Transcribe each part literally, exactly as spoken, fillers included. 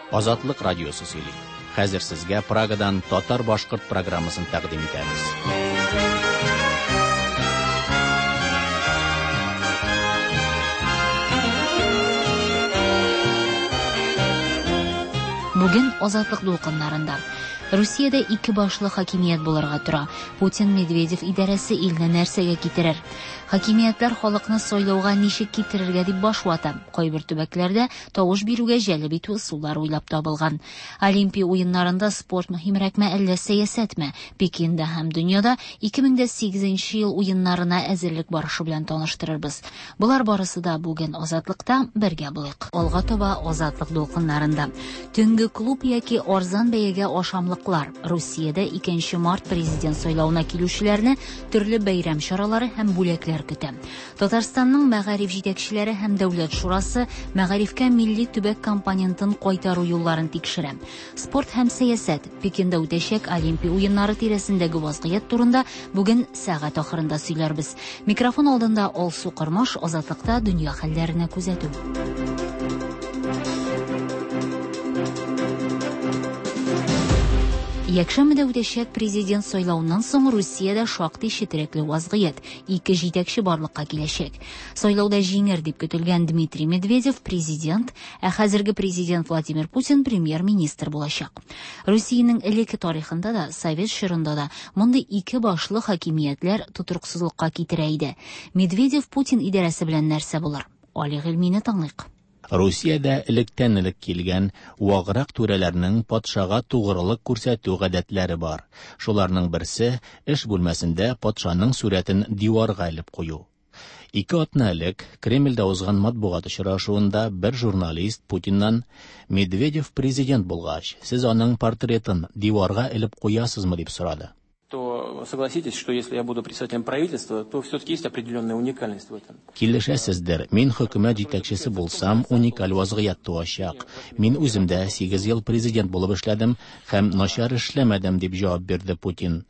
Азатлык радиосы сөйли. Хәзер сезгә Прагадан татар-башкорт программасын тәкъдим итәбез. Бүген Азатлык дулкыннарында Русиядә ике башлы хакимият булырга тора. Путин Медведев идарәсе илне нәрсәгә китерер? Хакимиятләр халыкны сайлауга ничек китерергә дип баш вата. Кайбер төбәкләрдә тавыш бирүгә җәлеп итү ысуллары уйлап табылган. Олимпия уеннарында спорт мөһимрәкме әллә сәясәтме? Пекинда һәм дөньяда ике мең дә сигезенче ел уеннарына әзерлек барышы белән таныштырырбыз. Болар барысы да бүген Азатлыкта бергә булыйк. Алга таба Азатлык дулкыннарында. Төнге клуб яки арзан бәягә ашамлык. Русиядә икенче март президент сайлауына килүчеләрне төрле бәйрәм чаралары һәм бүләкләр көтә. Татарстанның мәгариф җитәкчеләре һәм Дәүләт шурасы мәгарифкә милли төбәк компонентын кайтару юлларын тикшерә. Спорт һәм сәясәт Пекинда үтәчәк Олимпия уеннары тирәсендәге вазгыять турында бүген сәгать ахырында сөйләрбез. Микрофон алдында Алсу Кормаш, Азатлыкта дөнья хәлләренә күзәтү. Якшәмбедә үтәчәк президент сайлауыннан соң Русиядә шактый четерекле вазгыять, ике җитәкче барлыкка киләчәк. Сайлауда җиңер дип көтелгән Дмитрий Медведев президент, ә хәзерге президент Владимир Путин премьер-министр булачак. Русиянең элекке тарихында да, совет чорында да мондый ике башлы хакимиятләр тотрыксызлыкка китерә иде. Медведев Путин идарәсе белән нәрсә булыр? Али Гыйльмине тыңлыйк. Русиядә электән элек килгән ваграк түрәләрнең патшага тугрылык күрсәтү гадәтләре бар. Шуларның берсе эш бүлмәсендә патшаның сурәтен диварга элеп кую. Ике атна элек Кремльдә узган матбугат очрашуында бер журналист Путиннан Медведев президент булгач, сез аның портретын диварга элеп куясызмы дип сорады. То согласитесь, что если я буду председателем правительства, то все-таки есть определенная уникальность в этом. Килешәсездер, мин хөкүмәт җитәкчесе булсам, уникаль вазгыять туачак. Мин үзем дә сигез ел президент булып эшләдем һәм начар эшләмәдем, дип җавап бирде Путин.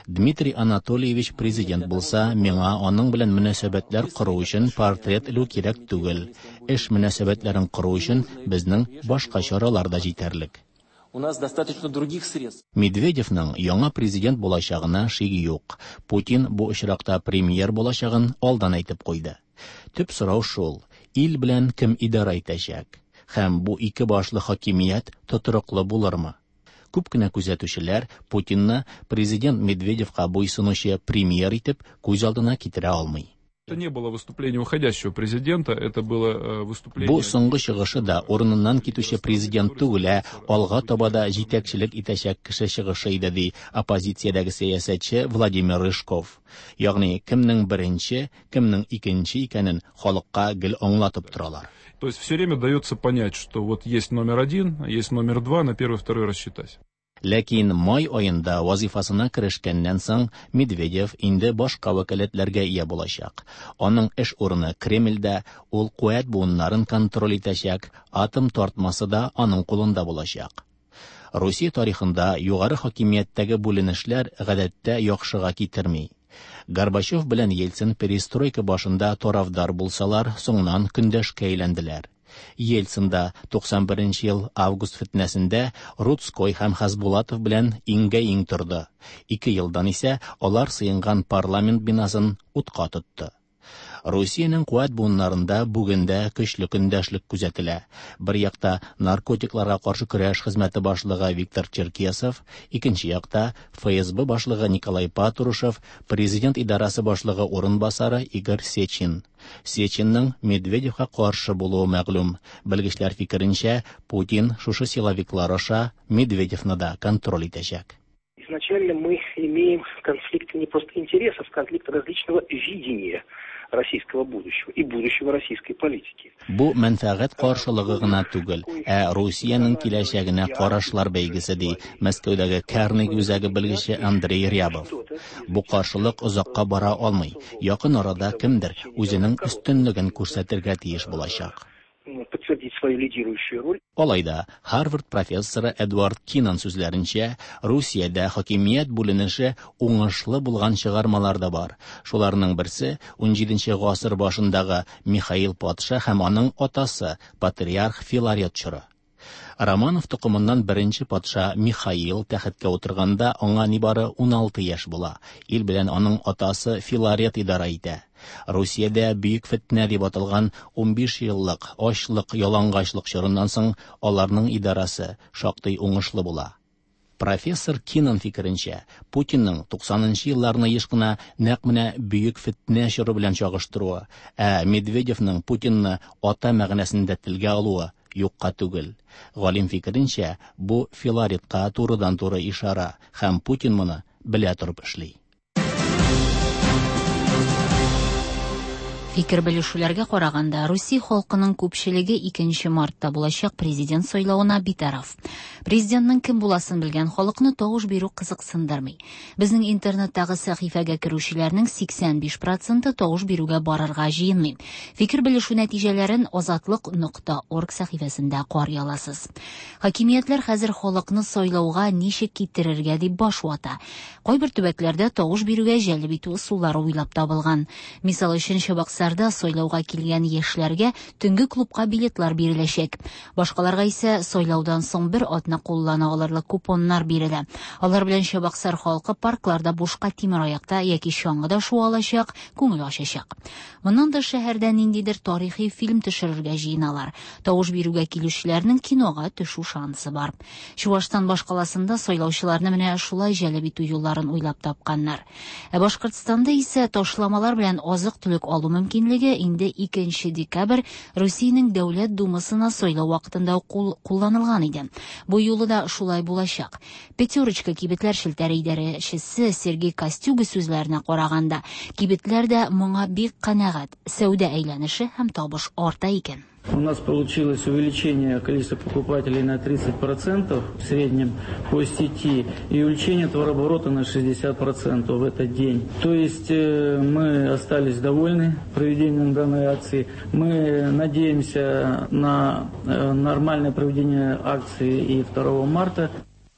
Дмитрий Анатольевич президент булса, миңа аның белән мөнәсәбәтләр кору өчен портрет элү кирәк түгел. Эш мөнәсәбәтләрен кору өчен безнең башка чаралар да җитәрлек. У нас достаточно других средств. Медведевның яңа президент булачагына шик юк. Путин бу очракта премьер булачагын алдан әйтеп куйды. Төп сорау шул: ил белән кем идара итәчәк? Һәм бу ике башлы хакимият тотрыклы булырмы? Күп кенә күзәтүчеләр Путинны президент Медведевка буйсынучы премьер итеп күз алдына китерә алмый. Это не было выступление уходящего президента, это было выступление... Бу соңгы чыгышы да урыныннан китүче президент түгел, ә алга таба да җитәкчелек итәчәк кеше чыгышы иде, ди оппозициядәге сәясәтче Владимир Рыжков. Ягъни кемнең беренче, кемнең икенче икәнен халыкка гел аңлатып торалар. То есть все время дается понять, что вот есть номер один, есть номер два, на первый, второй рассчитать. Ләкин май аенда вазифасына керешкәннән соң Медведев инде башка вәкаләтләргә ия булачак. Аның эш урыны Кремльдә, ул куәт буыннарын контроль итәчәк, атом тартмасы да аның кулында булачак. Русия тарихында югары хакимияттәге бүленешләр гадәттә яхшыга китерми. Горбачев белән Ельцин перестройка башында тарафдар булсалар, соңыннан көндәшкә әйләнделәр. Ельцин да туксан беренче ел август фитнәсендә Рудской һәм Хасбулатов белән иңгә-иң торды. Ике елдан исә алар сыенган парламент бинасын утка тотты. Русиянең куәт буыннарында бүген дә көчле көндәшлек күзәтелә. Бер якта наркотикларга каршы көрәш хезмәте башлыгы Виктор Черкесов, икенче якта Эф Эс Бэ башлыгы Николай Патрушев, президент идарасы башлыгы урынбасары Игорь Сечин. Сечинның Медведевка каршы булуы мәгълүм. Белгечләр фикеренчә, Путин шушы силовиклар аша Медведевны да контроль итәчәк. Изначально мы имеем конфликт не просто интересов, конфликт различного видения российского будущего и будущего российской политики. Бу мәнфәгать каршылыгы гына түгел, ә Русиянең киләчәгенә карашлар бәйгесе, ди Мәскәүдәге Карнеги үзәге белгече Андрей Рябов. Бу каршылык озакка бара алмый. Якын арада кемдер үзенең өстенлеген күрсәтергә тиеш булачак. Подтвердить свою лидирующую роль. Алай да, Harvard профессоры Эдвард Кинан сүзләренчә, Русиядә хакимият бүленеше уңышлы булган чыгармалар да бар. Шуларның берсе унҗиденче гасыр башындагы Михаил патша һәм аның атасы патриарх Филарет чоры. Романов токымыннан беренче патша Михаил тәхеткә утырганда аңа нибары уналты яшь була. Ил белән аның атасы Филарет идарә итә. Русиядә бөек фетнә дип аталган унбиш еллык ачлык, ялангачлык чорыннан соң аларның идарәсе шактый уңышлы була. Профессор Кинан фикеренчә, Путинның туксанынчы елларны еш кына нәкъ менә бөек фетнә чоры белән чагыштыруы, ә Медведевның Путинны ата мәгънәсендә телгә алуы юкка түгел. Галим фикеренчә, бу Филаретка турыдан-туры ишара һәм Путин моны белә торып эшли. Фикер белешүләргә караганда, Русия халкының күпчелеге икенче мартта булачак президент сайлавына битараф. Президентның кем буласын белгән халыкны тавыш бирү кызыксындырмый. Безнең интернеттагы сәхифәгә керүчеләрнең сиксән биш проценты тавыш бирүгә барырга җыенмый. Фикер белешү нәтиҗәләрен азатлык нокта орг сәхифәсендә карый аласыз. Хакимиятләр хәзер халыкны сайлауга ничек китерергә дип баш вата. Кайбер төбәкләрдә тавыш бирүгә җәлеп итү ысуллары уйлап табылган. Мисал өчен, Чабаксарда сайлауга килгән яшьләргә төнге клубка билетлар биреләчәк. Башкаларга исә сайлаудан соң бер атна куллана алырлык купоннар бирелә. Алар белән Чабаксар халкы паркларда бушка тимер аякта яки чаңгыда шуа алачак, күңел ачачак. Моннан тыш шәһәрдә ниндидер тарихи фильм төшерергә җыеналар. Тавыш бирүгә килүчеләрнең кинога төшү шансы бар. Чувашстан башкаласында сайлаучыларны менә шулай җәлеп итү юлларын уйлап тапканнар. Ә Башкортстанда исә ташламалар белән азык-төлек алу мөмкинлеге инде икенче декабрь Русиянең Дәүләт Думасына сайлау вакытында кулланылган иде. Бу юлы да шулай булачак. Пятерочка кибетләр челтәре идарәчесе Сергей Костюга сүзләренә караганда, кибетләр дә моңа бик канәгать. Сәүдә әйләнеше һәм табыш арта икән. У нас получилось увеличение количества покупателей на тридцать процентов в среднем по сети и увеличение товарооборота на шестьдесят процентов в этот день. То есть мы остались довольны проведением данной акции. Мы надеемся на нормальное проведение акции и второго марта.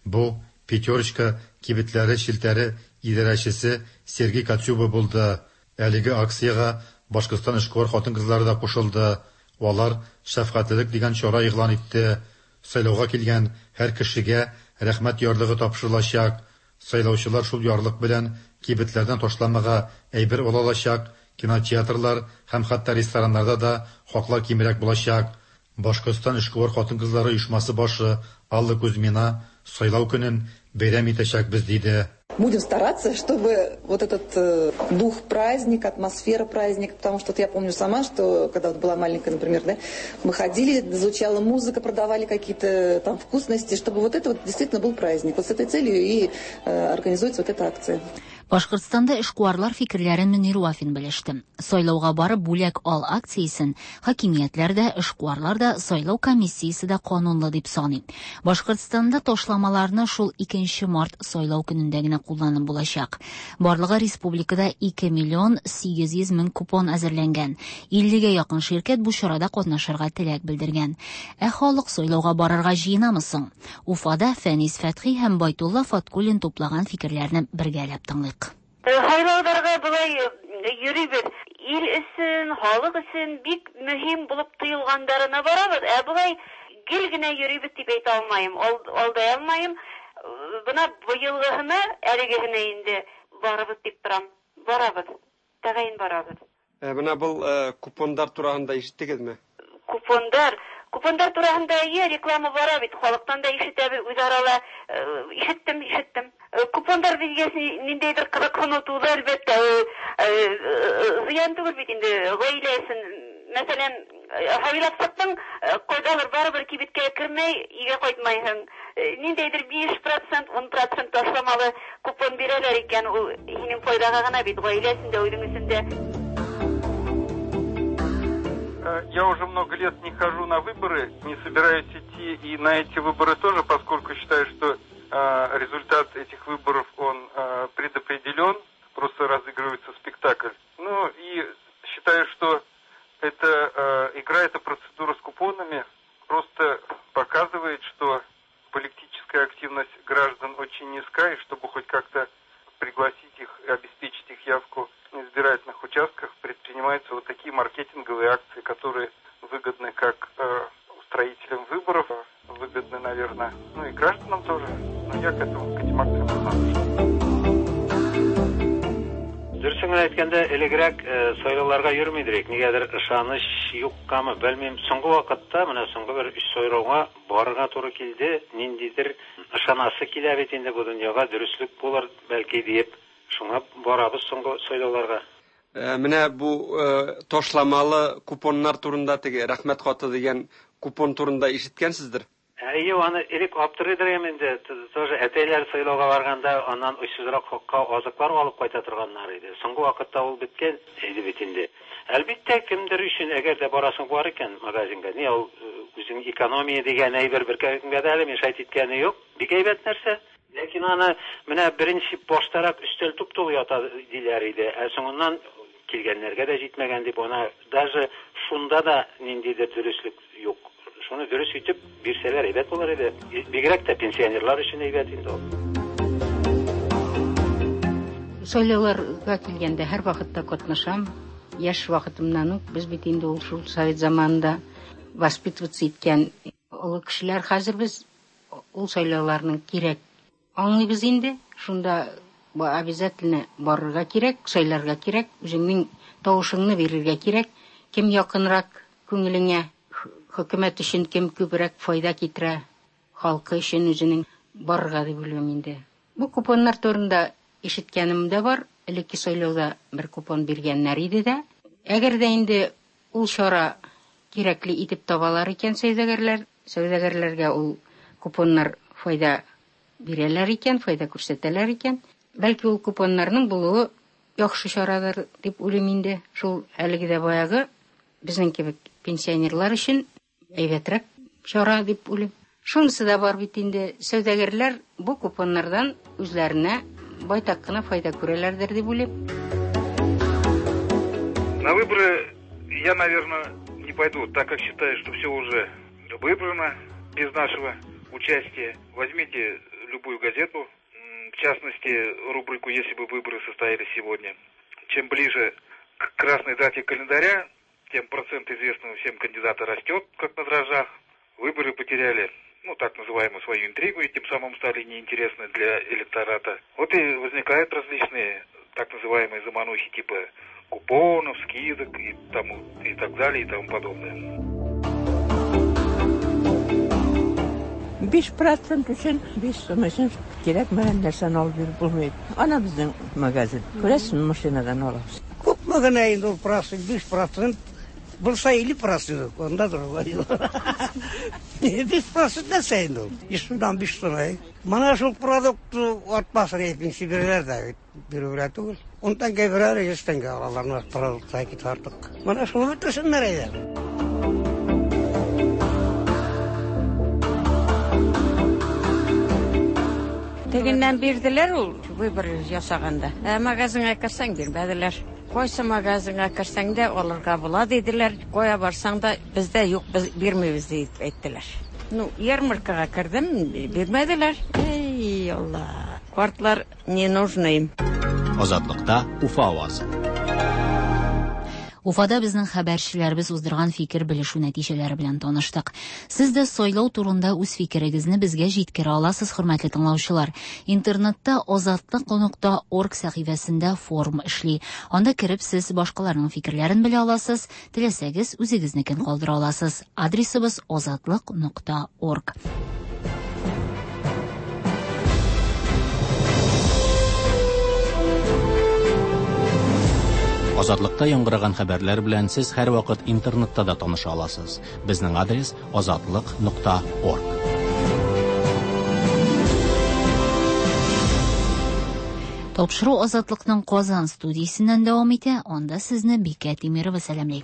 Бу Пятерочка кибетләре челтәре идарәчесе Сергей Кацюба булды. Әлеге акциягә Башкортстан эшкуар хатын-кызлары да кушылды. Алар шәфкатьлелек дигән чара игълан итте. Сайлауга килгән һәр кешегә рәхмәт ярлыгы тапшырылачак. Сайлаучылар шул ярлык белән кибетләрдән ташламага әйбер ала алачак, кинотеатрлар һәм хәтта рестораннарда да хаклар кимрәк булачак. Башкортстан эшкуар хатын-кызлары оешмасы башы Алла Кузьмина сайлау көнен бәйрәм итәчәкбез диде. Будем стараться, чтобы вот этот э, дух праздника, атмосфера праздника, потому что вот я помню сама, что когда вот была маленькая, например, да, мы ходили, звучала музыка, продавали какие-то там вкусности, чтобы вот это вот действительно был праздник. Вот с этой целью и э, организуется вот эта акция. Башкортстанда эшкуарлар фикерләрен Мөнир Вафин белеште. Сайлауга барып бүләк ал акциясен хакимиятләр дә, эшкуарлар да, сайлау комиссиясе дә канунлы дип саный. Башкортстанда ташламаларны шул икенче март сайлау көнендә генә кулланып булачак. Барлыгы республикада ике миллион сигез йөз мең купон әзерләнгән. иллегә якын ширкәт бу чарада катнашырга теләк белдергән. Ә халык сайлауга барырга җыенамы соң? Уфада Фәнис Фәтхи һәм Байтулла Фаткуллин туплаган фикерләрне бергәләп тыңлыйк. Һайлауларга болай йөрибез. Ил өчен, халык өчен бик мөһим булып тоелгандарына барабыз. Ә болай гел генә йөрибез дип әйтә алмыйм, алдай алмыйм. Бына быелгыһына, әлегеһенә инде барабыз дип торам. Барабыз. Тәгаен барабыз. Ә бына был купондар тураһында ишеттегеҙме? Купондар Купондар тураһында әйе, реклама бара бит, халыктан да ишетәбез, үзара ла ишеттем, ишеттем. Купондар безгә ниндәйдер кызыксыну туды, әлбәттә, зыян түгел бит инде гаилә өчен. Мәсәлән, һайлап саттың, кайдалыр барыбер кибеткә кермәй, өйгә кайтмайһың. Ниндәйдер биш процент, ун процент ташламалы купон бирәләр икән, ул һинең файдага гына бит, гаилә өчен дә, үзең өчен дә. Я уже много лет не хожу на выборы, не собираюсь идти и на эти выборы тоже, поскольку считаю, что э, результат этих выборов, он э, предопределен, просто разыгрывается спектакль. Ну и считаю, что эта э, игра, эта процедура с купонами просто показывает, что политическая активность граждан очень низка, и чтобы хоть как-то пригласить их и обеспечить их явку на избирательных участках, предпринимаются вот такие маркетинговые акции, которые выгодны как э, устроителям выборов, выгодны, наверное. Ну и гражданам тоже. Но я к этому, к этим акциям равнодушен. Дөресен генә әйткәндә, элегрәк сайлауларга йөрми идек. Нигәдер ышаныч юккамы, белмим. Соңгы вакытта, менә соңгы бер өч сайлауга барырга туры килде. Ниндидер ышанасы килә бит инде бу дөньяга, дөреслек булыр бәлки диеп. Шуңа барабыз соңгы сайлауларга. Менә бу ташламалы купоннар турында, теге рәхмәт хаты дигән купон турында ишеткәнсездер? Әйе, аны элек аптырыйдыр инде. Тоже әтәйләр сайлауга барганда аннан очсызрак хакка азыклар алып кайта торганнар иде. Соңгы вакытта ул беткән иде бит инде. Әлбәттә, кемдер өчен, әгәр дә барасың бар икән магазинга, ни ул үзең экономия дигән әйбер беркемгә дә әле мешать иткәне юк. Бик әйбәт нәрсә. Ләкин аны менә беренче баштарак өстәл туп-тулы ята диләр иде. Ә соңыннан килгәннәргә дә җитмәгән дип, ана даже шунда да ниндидер дөреслек юк. Шуны дөрес итеп бирсәләр әйбәт булыр иде. Бигрәк тә пенсионерлар өчен әйбәт инде ул. Сайлауларга килгәндә һәр вакытта катнашам. Яшь вакытымнан ук без бит инде ул шул совет заманында воспитываться иткән олы кешеләр. Хәзер без ул сайлауларның кирәк аңлыйбыз инде. Шунда обязательно барырга кирәк, сайларга кирәк, үзеңнең тавышыңны бирергә кирәк. Кем якынрак күңелеңә, хөкүмәт өчен кем күбрәк файда китерә, халкы өчен үзенең барырга дип уйлыйм инде. Бу купоннар турында ишеткәнем дә бар. Элекке сайлауда бер купон биргәннәр иде дә. Әгәр дә инде ул чара кирәкле итеп табалар икән сәүдәгәрләр, сәүдәгәрләргә ул купоннар файда бирәләр икән, файда күрсәтәләр икән, бәлки ул купоннарның булуы яхшы чарадыр дип уйлыйм инде. Шул әлеге дә баягы безнең кебек пенсионерлар өчен әйбәтрәк чара дип уйлыйм. Шунысы да бар бит инде, сәүдәгәрләр бу купоннардан үзләренә байтак кына файда күрәләрдер дип уйлыйм. На выборы я, наверное, не пойду, так как считаю, что все уже выбрано без нашего участия. Возьмите любую газету, в частности, рубрику «Если бы выборы состоялись сегодня». Чем ближе к красной дате календаря, тем процент известного всем кандидата растет, как на дрожжах. Выборы потеряли, ну, так называемую свою интригу, и тем самым стали неинтересны для электората. Вот и возникают различные так называемые заманухи типа купонов, скидок и, тому, и так далее, и тому подобное. биш процент өчен, биш сум өчен кирәкмәгән нәрсәне алып йөреп булмый. Ана безнең магазин. Күрәсезме, машинадан алабыз. Күпме генә инде ул процент, биш процент булса илле процент, анда другой. Биш процент нәрсә инде ул? Йөз сумнан биш сум. Менә шул продукт артмасын пенсия бирәләр дә, бирүгә түгел. Ун тәңкә бирәләр, йөз тәңкә алалар, продукт китә артык. Менә шуны бетерсеннәр әйдә. Тегеннән бирделәр ул выбор ясаганда. Ә магазинга керсәң бирмәделәр. Кайсы магазинга керсәң дә алырга була диделәр. Кая барсаң да бездә юк, без бирмибез дип әйттеләр. Ну, ярмаркага кердем, бирмәделәр. Эй, Алла. Картлар не нужны им. Азатлыкта Уфа авазы. Уфада безнең хәбәрчеләребез уздырган фикер белешү нәтиҗәләре белән таныштык. Сез дә сайлау турында үз фикерегезне безгә җиткерә аласыз, хөрмәтле тыңлаучылар. Интернетта азатлык нокта орг сәхифәсендә форум эшли. Анда кереп сез башкаларның фикерләрен белә аласыз, теләсәгез үзегезнекен калдыра аласыз. Адресыбыз азатлык нокта орг. Азатлыкта яңгыраган хәбәрләр белән сез һәр вакыт интернетта да таныша аласыз. Безнең адрес азатлык нокта орг. Тапшыру Азатлыкның Казан студиясеннән дәвам итә. Анда сезне Бикә Тимирова сәламли.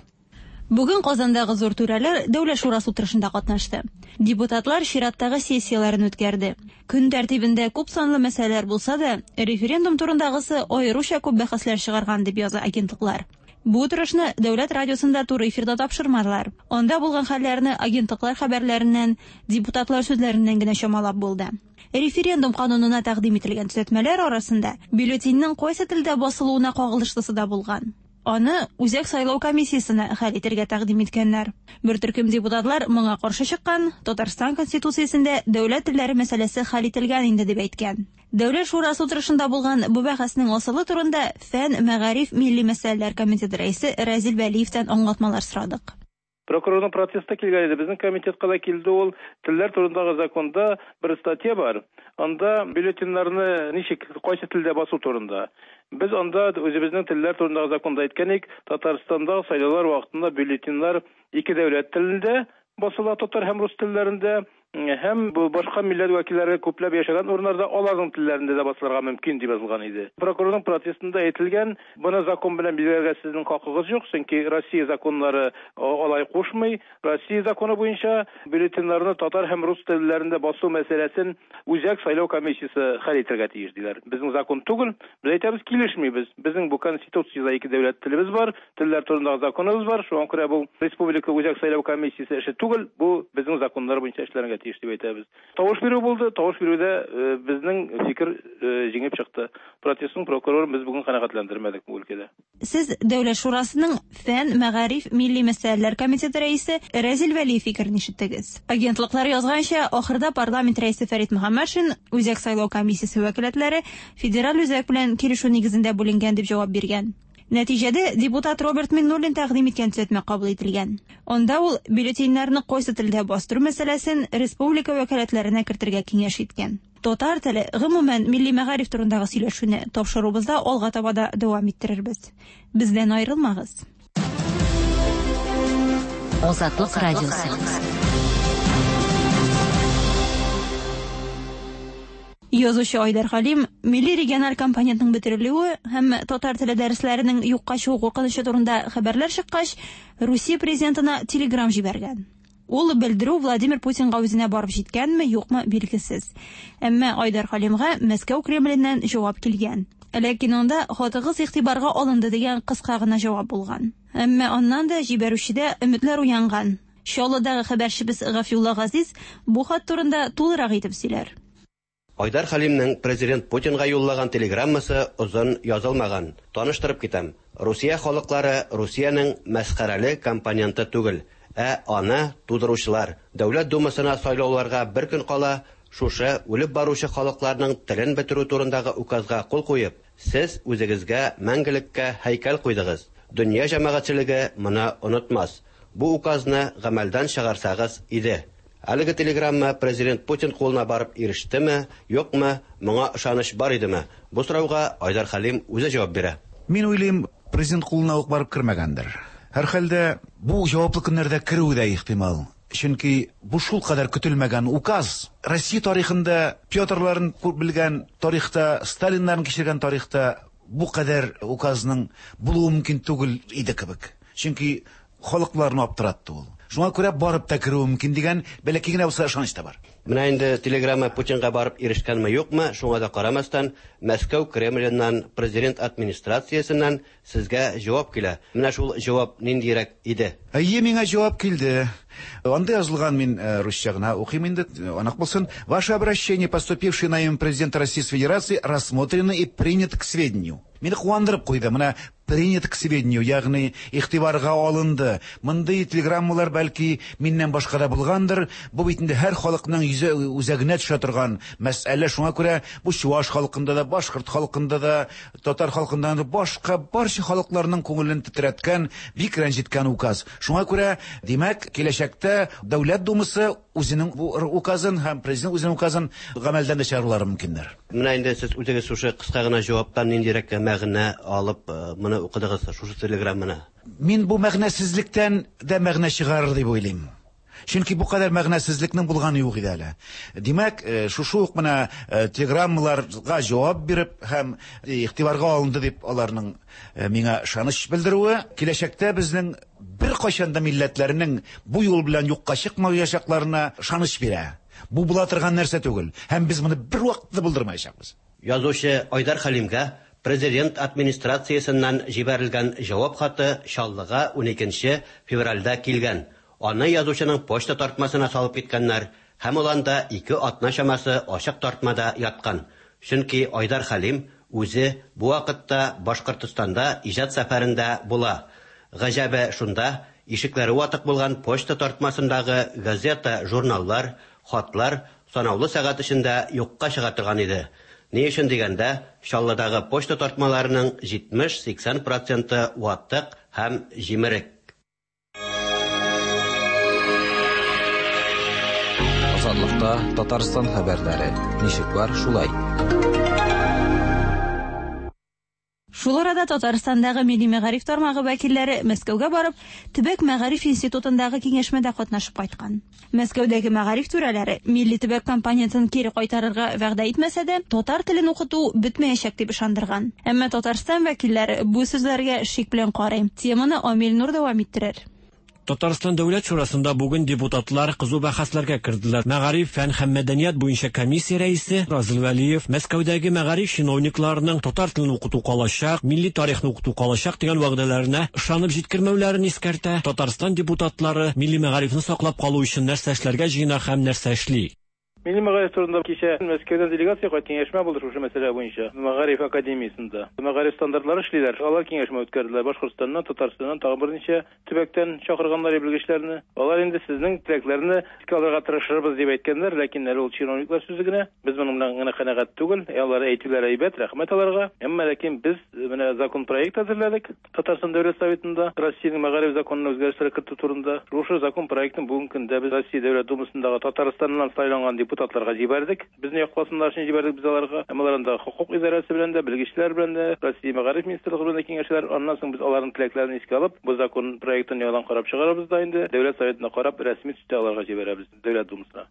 Бүген Казандагы зур түрәләр Дәүләт шурасы утырышында катнашты. Депутатлар чираттагы сессияләрен үткәрде. Көн тәртибендә күп санлы мәсьәләләр булса да, референдум турындагысы аеруча күп бәхәсләр чыгарган дип яза агентлыклар. Бу утырышны Дәүләт радиосында туры эфирда тапшырмадылар. Анда булган хәлләрне агентлыклар хәбәрләреннән, депутатлар сүзләреннән генә чамалап булды. Референдум канунына тәкъдим ителгән төзәтмәләр арасында бюллетеньнең кайсы телдә басылуына кагылышлысы да булган. Аны Үзәк сайлау комиссиясенә хәл итәргә тәкъдим иткәннәр. Бер төркем депутатлар моңа каршы чыккан, Татарстан Конституциясендә дәүләт телләре мәсьәләсе хәл ителгән инде дип әйткән. Дәүләт шурасы утырышында булган бу бәхәснең асылы турында Фән, мәгариф, милли мәсьәләләр комитеты рәисе Разил Вәлиевтән аңлатмалар сорадык. Прокурорның протесты килгән иде. Безнең комитетка да килде ул. Телләр турындагы законда бер статья бар. Анда бюллетеньнәрне ничек, кайсы телдә басу турында. Без анда үзебезнең телләр турындагы законда әйткән идек, Татарстанда сайлаулар вакытында бюллетеньнәр ике дәүләт телендә басыла, татар һәм рус телләрендә, һәм бу башка милләт вәкилләре күпләп яшәгән урыннарда аларның телләрендә дә басылырга мөмкин дип язылган иде. Прокурорның протестында әйтелгән, моны закон белән билгеләргә сезнең хакыгыз юк, чөнки Россия законнары алай кушмый. Россия законы буенча бюллетеньнәрне татар һәм рус телләрендә басу мәсьәләсен Үзәк сайлау комиссиясе хәл итәргә тиеш диләр. Безнең закон түгел, без әйтәбез, килешмибез. Безнең бу конституциядә ике дәүләт телебез бар, телләр турындагы законыбыз бар. Шуңа күрә бу Республика Үзәк сайлау комиссиясе эше түгел, бу безнең законнар буенча эшләргә тиеш дип әйтәбез. Тавыш бирү булды, тавыш бирүдә безнең фикер җиңеп чыкты. Протестның прокурорын без бүген канәгатьләндермәдек бу өлкәдә. Сез Дәүләт шурасының Фән, мәгариф, милли мәсьәләләр комитеты рәисе Разил Вәлиев фикерен ишеттегез. Агентлыклар язганча, ахырда парламент рәисе Фәрит Мөхәммәтшин Үзәк сайлау комиссиясе вәкаләтләре федераль үзәк белән килешү нигезендә бүленгән дип җавап биргән. Нәтиҗәдә депутат Роберт Миннуллин тәкъдим иткән төзәтмә кабул ителгән. Анда ул бюллетеньнәрне кайсы телдә бастыру мәсьәләсен республика вәкаләтләренә кертергә киңәш иткән. Татар теле, гомумән, милли мәгариф турындагы сөйләшүне тапшыруыбызда алга таба да дәвам иттерербез. Бездән аерылмагыз. Азатлык радиосы. Язучы Айдар Хәлим милли региональ компонентның бетерелүе һәм татар теле дәресләренең юкка чыгу куркынычы турында хәбәрләр чыккач, Русия президентына телеграм җибәргән. Ул белдерү Владимир Путинга үзенә барып җиткәнме, юкмы билгесез. Әмма Айдар Хәлимгә Мәскәү Кремленнән җавап килгән. Ләкин анда хатыгыз игътибарга алынды дигән кыска гына җавап булган. Әмма аннан да җибәрүчедә өметләр уянган. Чаллыдагы хәбәрчебез Гафиулла Газиз бу хат турында тулырак итеп сөйләр. Айдар Хәлимнең президент Путинга юллаган телеграммасы озын язылмаган. Таныштырып китәм. Русия халыклары Русиянең мәсхәрәле компоненты түгел, ә аны тудыручылар. Дәүләт думасына сайлауларга бер көн кала, шушы үлеп баручы халыкларның телен бетерү турындагы указга кул куеп, сез үзегезгә мәңгелеккә һәйкәл куйдыгыз. Дөнья җәмәгатьчелеге моны онытмас. Бу указны гамәлдән чыгарсагыз иде. Әлеге телеграмма президент Путин кулына барып ирештеме, юкмы, моңа ышаныч бар идеме? Бу сорауга Айдар Хәлим үзе җавап бирә. Мин уйлыйм, президент кулына ук барып кермәгәндер. Һәрхәлдә бу җаваплы көннәрдә керүе дә ихтимал. Чөнки бу шул кадәр көтелмәгән указ. Россия тарихында Петрларын белгән тарихта, Сталиннарын кичергән тарихта бу кадәр указның булуы мөмкин түгел иде кебек. Чөнки халыкларны аптыратты ул. Шуңа күрә барып та керүе мөмкин дигән бәләкәй генә булса ышаныч та бар. Менә инде телеграмма Путинга барып ирешкәнме юкмы, шуңа да карамастан, Мәскәү Кремленнән, президент администрациясеннән сезгә җавап килә. Менә шул җавап ниндирәк иде? Әйе, миңа җавап килде. Анда язылган, мин русча гына укыйм инде, анык булсын. Ваше обращение, поступившее на имя президента Российской Федерации, рассмотрено и принято к сведению. Мине куандырып куйды. Менә принят к сведению, ягъни игътибарга алынды. Мондый телеграммалар бәлки миннән башка да булгандыр. Бу бит инде һәр халыкның йөзе үзәгенә төшә торган мәсьәлә. Шуңа күрә бу чуваш халкында да, башкорт халкында да, татар халкында да, башка барча халыкларның күңелен тетрәткән, бик рәнҗеткән указ. Шуңа күрә, димәк, киләчәктә Дәүләт Думасы үзенең бу указын һәм президент үзенең указын гамәлдән дә чыгарулары мөмкиндер. Менә инде сез үзегез шушы кыска гына җаваптан ниндирәк мәгънә алып моны укыдыгыз, шушы телеграмманы? Мин бу мәгънәсезлектән дә мәгънә чыгарыр дип уйлыйм. Чөнки бу кадәр мәгънәсезлекнең булганы юк иде әле. Димәк, шушы ук менә телеграммаларга җавап биреп һәм игътибарга алынды дип аларның миңа ышаныч белдерүе, киләчәктә безнең бер кайчан да милләтләрнең бу юл белән юкка чыкмаячакларына ышаныч бирә. Бу була торган нәрсә түгел һәм без моны бер вакытта булдырмаячакбыз. Язучы Айдар Хәлимгә президент администрациясеннән җибәрелгән җавап хаты Чаллыга уникенче февральдә килгән. Аны язучының почта тартмасына салып киткәннәр һәм ул анда ике атна чамасы ачык тартмада яткан. Чөнки Айдар Хәлим Үзе бу вакытта Башкортостанда иҗат сәфәрендә була. Гаҗәбе шунда, ишекләре ватык булган почта тартмасындагы газета, журналлар, хатлар санаулы сәгать эчендә юкка чыга торган иде. Ни өчен дигәндә, Чаллыдагы почта тартмаларының җитмеш-сиксән проценты ватык һәм җимерек. Азатлыкта Татарстан хәбәрләре. Ничек бар, шулай. Шул арада Татарстандагы милли мәгариф тармагы вәкилләре Мәскәүгә барып, Төбәк мәгариф институтындагы киңәшмәдә катнашып кайткан. Мәскәүдәге мәгариф түрәләре милли төбәк компонентын кире кайтарырга вәгъдә итмәсә дә, татар телен укыту бетмәячәк дип ышандырган. Әмма Татарстан вәкилләре бу сүзләргә шик белән карый. Теманы Амил Нур дәвам иттерер. Татарстан Дәүләт Шурасында бүген депутатлар кызу бәхәсләргә керделәр. Мәгариф, фән һәм мәдәният буенча комиссия рәисе Разил Вәлиев Мәскәүдәге мәгариф чиновникларының татар телен укыту калачак, милли тарихны укыту калачак дигән вәгъдәләренә ышанып җиткермәүләрен искәртә. Татарстан депутатлары милли мәгарифне саклап калу өчен нәрсә эшләргә җыена һәм нәрсә эшли. Милли мәгариф турында кичә Мәскәүдән делегация кайт киңәшмә булды шушы мәсьәлә буенча. Мәгариф академиясендә. Мәгариф стандартлары эшлиләр. Алар киңәшмә үткәрделәр. Башкортстаннан, Татарстаннан тагын берничә төбәктән чакырганнар белгечләрне. Алар инде сезнең теләкләрне искә алырга тырышырбыз дип әйткәннәр, ләкин әле ул чиновниклар сүзе генә. Без моның белән генә канәгать түгел. Алар әйтүләр әйбәт, рәхмәт аларга. Әмма ләкин без менә закон проект әзерләдек. Татарстан Дәүләт Советында Россиянең мәгариф законына үзгәрешләр кертү турында. Шушы закон проектын бүгенге көндә без Россия Дәүләт Думасындагы Татарстаннан сайланган депутатларга җибәрдек. Безне якласыннар өчен җибәрдек без аларга. Әмма алар анда хукук идарәсе белән дә, белгечләр белән дә, Россия мәгариф министрлыгы белән дә киңәшәләр. Аннан соң без аларның теләкләрен искә алып, бу закон проектын яңадан карап чыгарабыз да инде Дәүләт Советына карап рәсми төстә аларга җибәрәбез Дәүләт Думасына.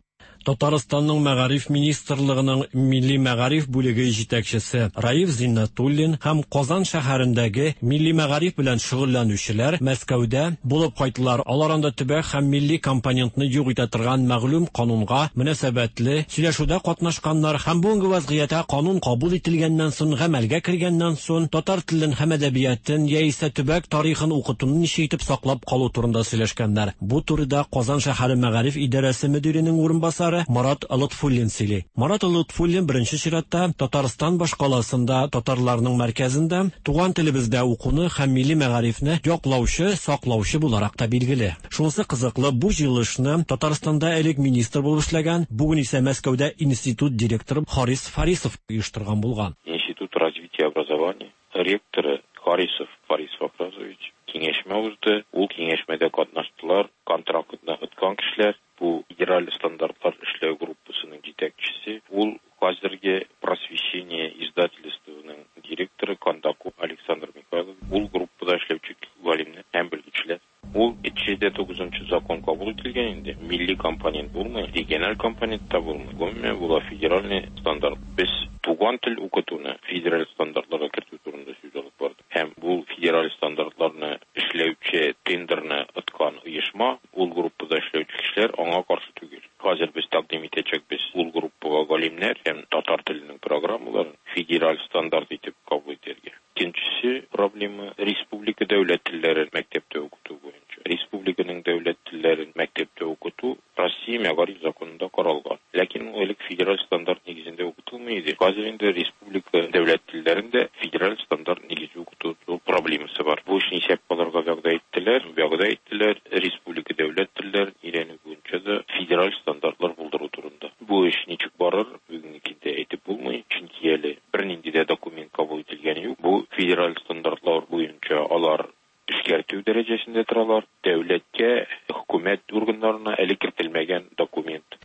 Татарстанның мәгариф министрлыгының милли мәгариф бүлеге җитәкчесе Раиф Зиннатуллин һәм Казан шәһәрендәге милли мәгариф белән шөгыльләнүчеләр Мәскәүдә булып кайттылар. Алар анда төбәк һәм милли компонентны юк итә торган мәгълүм канунга мөнәсәбәтле сөйләшүдә катнашканнар һәм бүгенге вазгыятьтә канун кабул ителгәннән соң, гамәлгә кергәннән соң татар телен һәм әдәбиятын яисә төбәк тарихын укытуны ничек итеп саклап калу турында сөйләшкәннәр. Бу турыда Казан шәһәре мәгариф идарәсе мөдиренең урынбасары Марат Лотфуллин сөйли. Марат Лотфуллин беренче чиратта Татарстан башкаласында татарларның мәркәзендә туган телебездә укуны һәм милли мәгарифне яклаучы, саклаучы буларак та билгеле. Шунысы кызыклы, бу җыелышны Татарстанда элек министр булып эшләгән, бүген исә Мәскәүдә институт директоры Харис Фарисов оештырган булган. Институт развития образования ректоры Харисов Фарис Фахразович киңәшмә узды. Ул киңәшмәдә катнаштылар контрактны откан кешеләр. Бу федераль стандартлар эшләү группасының җитәкчесе, ул хәзерге Просвещение издательствоның директоры Кондаков Александр Михайлов, ул группада эшләүче галимнәр һәм белгечләр. Ул җитмеш тугызынчы закон кабул ителгән инде. Милли компонент булмый, региональ компонент та булмый. Гомумән, була федеральный стандарт. Без туган тел укытуны федераль стандартларга кертү турында сүз алып бардык. Һәм бу федераль стандартларны эшләүче тендерны откан оешма, ул группада эшләүче кешеләр аңа каршы түгел. Хәзер без тәкъдим итәчәкбез ул группага галимнәр һәм татар теленең программаларын федераль стандарт итеп кабул итәргә. Икенчесе проблема республика дәүләт телләрен мәктәптә укыту буенча. Республиканың дәүләт телләрен мәктәптә укыту Россия мәгариф законында каралган. Ләкин ул элек федераль стандарт нигезендә укытылмый иде. Хәзер инде республика дәүләт телләрендә федераль стандарт нигезе укыту проблемасы бар. Бу эшне исәп алырга вәгъдә иттеләр, вәгъдә иттеләр республика дәүләт телләрен өйрәнү буенча да федераль стандартлар булдыру турында. Бу эш ничек барыр, бүгенге көндә әйтеп булмый, чөнки әле бернинди дә документ кабул ителгәне юк. Бу федераль стандартлар буенча алар эшкәртү дәрәҗәсендә торалар. Дәүләткә, хөкүмәт органнарына әле кертелмәгән документ.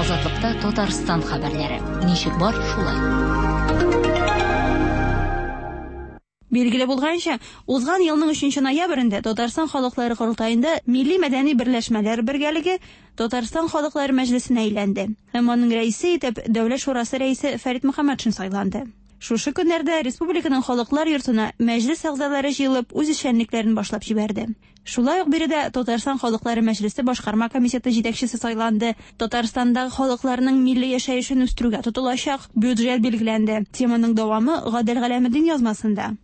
Азатлыкта Татарстан хәбәрләре. Ничек бар, шулай. Билгеле булганча, узган елның өченче ноябрендә Татарстан халыклары корылтаенда милли мәдәни берләшмәләр бергәлеге Татарстан халыклары мәҗлесенә әйләнде. Һәм аның рәисе итеп Дәүләт шурасы рәисе Фәрит Мөхәммәтшин сайланды. Шушы көннәрдә республиканың халыклар йортына мәҗлес әгъзалары җыелып үз эшчәнлекләрен башлап җибәрде. Шулай ук биредә Татарстан халыклары мәҗлесе башкарма комитеты җитәкчесе сайланды. Татарстандагы халыкларның милли яшәешен үстерүгә тотылачак бюджет билгеләнде. Теманың дәвамы Гадел Галәметдин язмасында.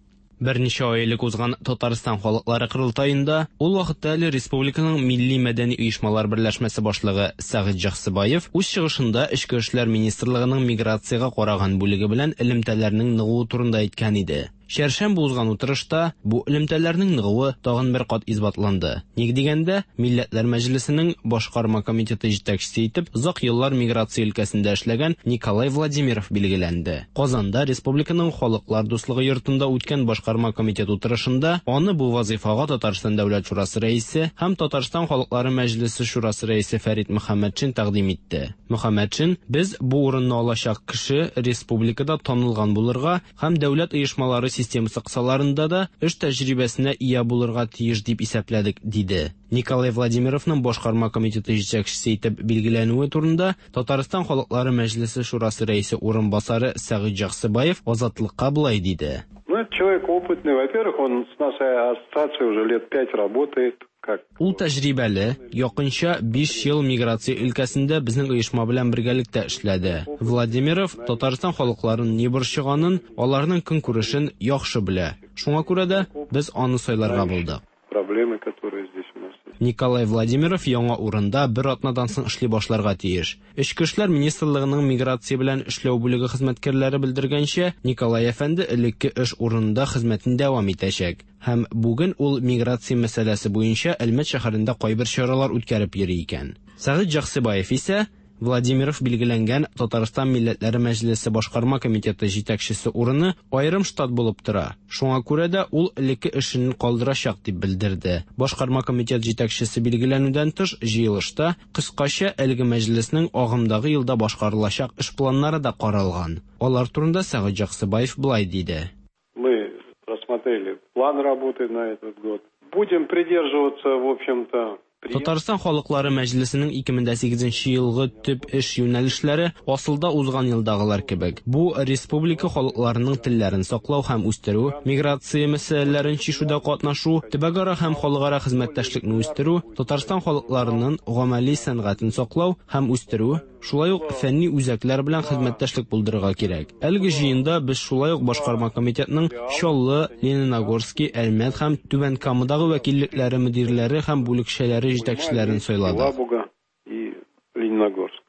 Берничә ай элек узган Татарстан халыклары корылтаенда ул вакытта әле республиканың милли мәдәни оешмалар берләшмәсе башлыгы Сәгыйть Җаксыбаев үз чыгышында Эчке эшләр министрлыгының миграциягә караган бүлеге белән элемтәләрнең ныгуы турында әйткән иде. Чәршәмбе узган утырышта бу элемтәләрнең ныгуы тагын бер кат исбатланды. Ник дигәндә, Милләтләр Мәҗлесенең башкарма комитеты җитәкчесе итеп озак еллар миграция өлкәсендә эшләгән Николай Владимиров билгеләнде. Казанда республиканың Халыклар дуслыгы йортында үткән башкарма комитет утырышында аны бу вазифага Татарстан Дәүләт Шурасы рәисе һәм Татарстан Халыклары Мәҗлесе Шурасы рәисе Фәрит Мөхәммәтшин тәкъдим итте. Мөхәммәтшин: "Без бу урынны алачак кеше республикада танылган булырга һәм дәүләт оешмалары системасы кысаларында да эш тәҗрибәсенә ия булырга тиеш дип исәпләдек", диде. Николай Владимировның башкарма комитеты җитәкчесе итеп билгеләнүе турында Татарстан Халыклары Мәҗлесе Шурасы рәисе урынбасары Сәгыйть Җаксыбаев Азатлыкка болай диде. Ну, это человек опытный. Во-первых, он с нашей ассоциацией уже лет пять работает. Как? Ул тәҗрибәле, якынча биш ел миграция өлкәсендә безнең оешма белән бергәлектә эшләде. Владимиров Татарстан халыкларын ни борчыганын, аларның көнкүрешен яхшы белә. Шуңа күрә дә без аны сайларга булдык. Проблемы, которые здесь у нас есть. Николай Владимиров яңа урында бер атнадан соң эшли башларга тиеш. Эчке эшләр министрлыгының миграция белән эшләү бүлеге хезмәткәрләре белдергәнчә, Николай әфәнде элекке эш урынында хезмәтен дәвам итәчәк. Һәм бүген ул миграция мәсьәләсе буенча Әлмәт шәһәрендә кайбер чаралар үткәреп йөри икән. Сәгыйть Җаксыбаев исә Владимиров билгеләнгән Татарстан Милләтләре Мәҗлесе башкарма комитеты җитәкчесе урыны аерым штат булып тора. Шуңа күрә дә ул элекке эшен калдырачак дип белдерде. Башкарма комитет җитәкчесе билгеләнүдән тыш җыелышта кыскача әлеге мәҗлеснең агымдагы елда башкарылачак эш планнары да каралган. Алар турында Сәгыйть Җаксыбаев болай диде. Мы рассмотрели план работы на этот год. Будем придерживаться, в общем-то, Татарстан Халыклары Мәҗлесенең ике мең дә сигезенче елгы төп эш юнәлешләре асылда узган елдагылар кебек. Бу республика халыкларының телләрен саклау һәм үстерү, миграция мәсьәләләрен чишүдә катнашу, төбәкара һәм халыкара хезмәттәшлекне үстерү, Татарстан халыкларының гамәли сәнгатен саклау һәм үстерү, шулай ук фәнни үзәкләр белән хезмәттәшлек булдырырга кирәк. Әлеге җыенда без шулай ук башкарма комитетның Чаллы, Лениногорский, Әлмәт һәм Түбән Камадагы вәкиллекләре мөдирләре һәм бүлекчәләре җитәкчеләрен сайладык. Елабуга и Лениногорск.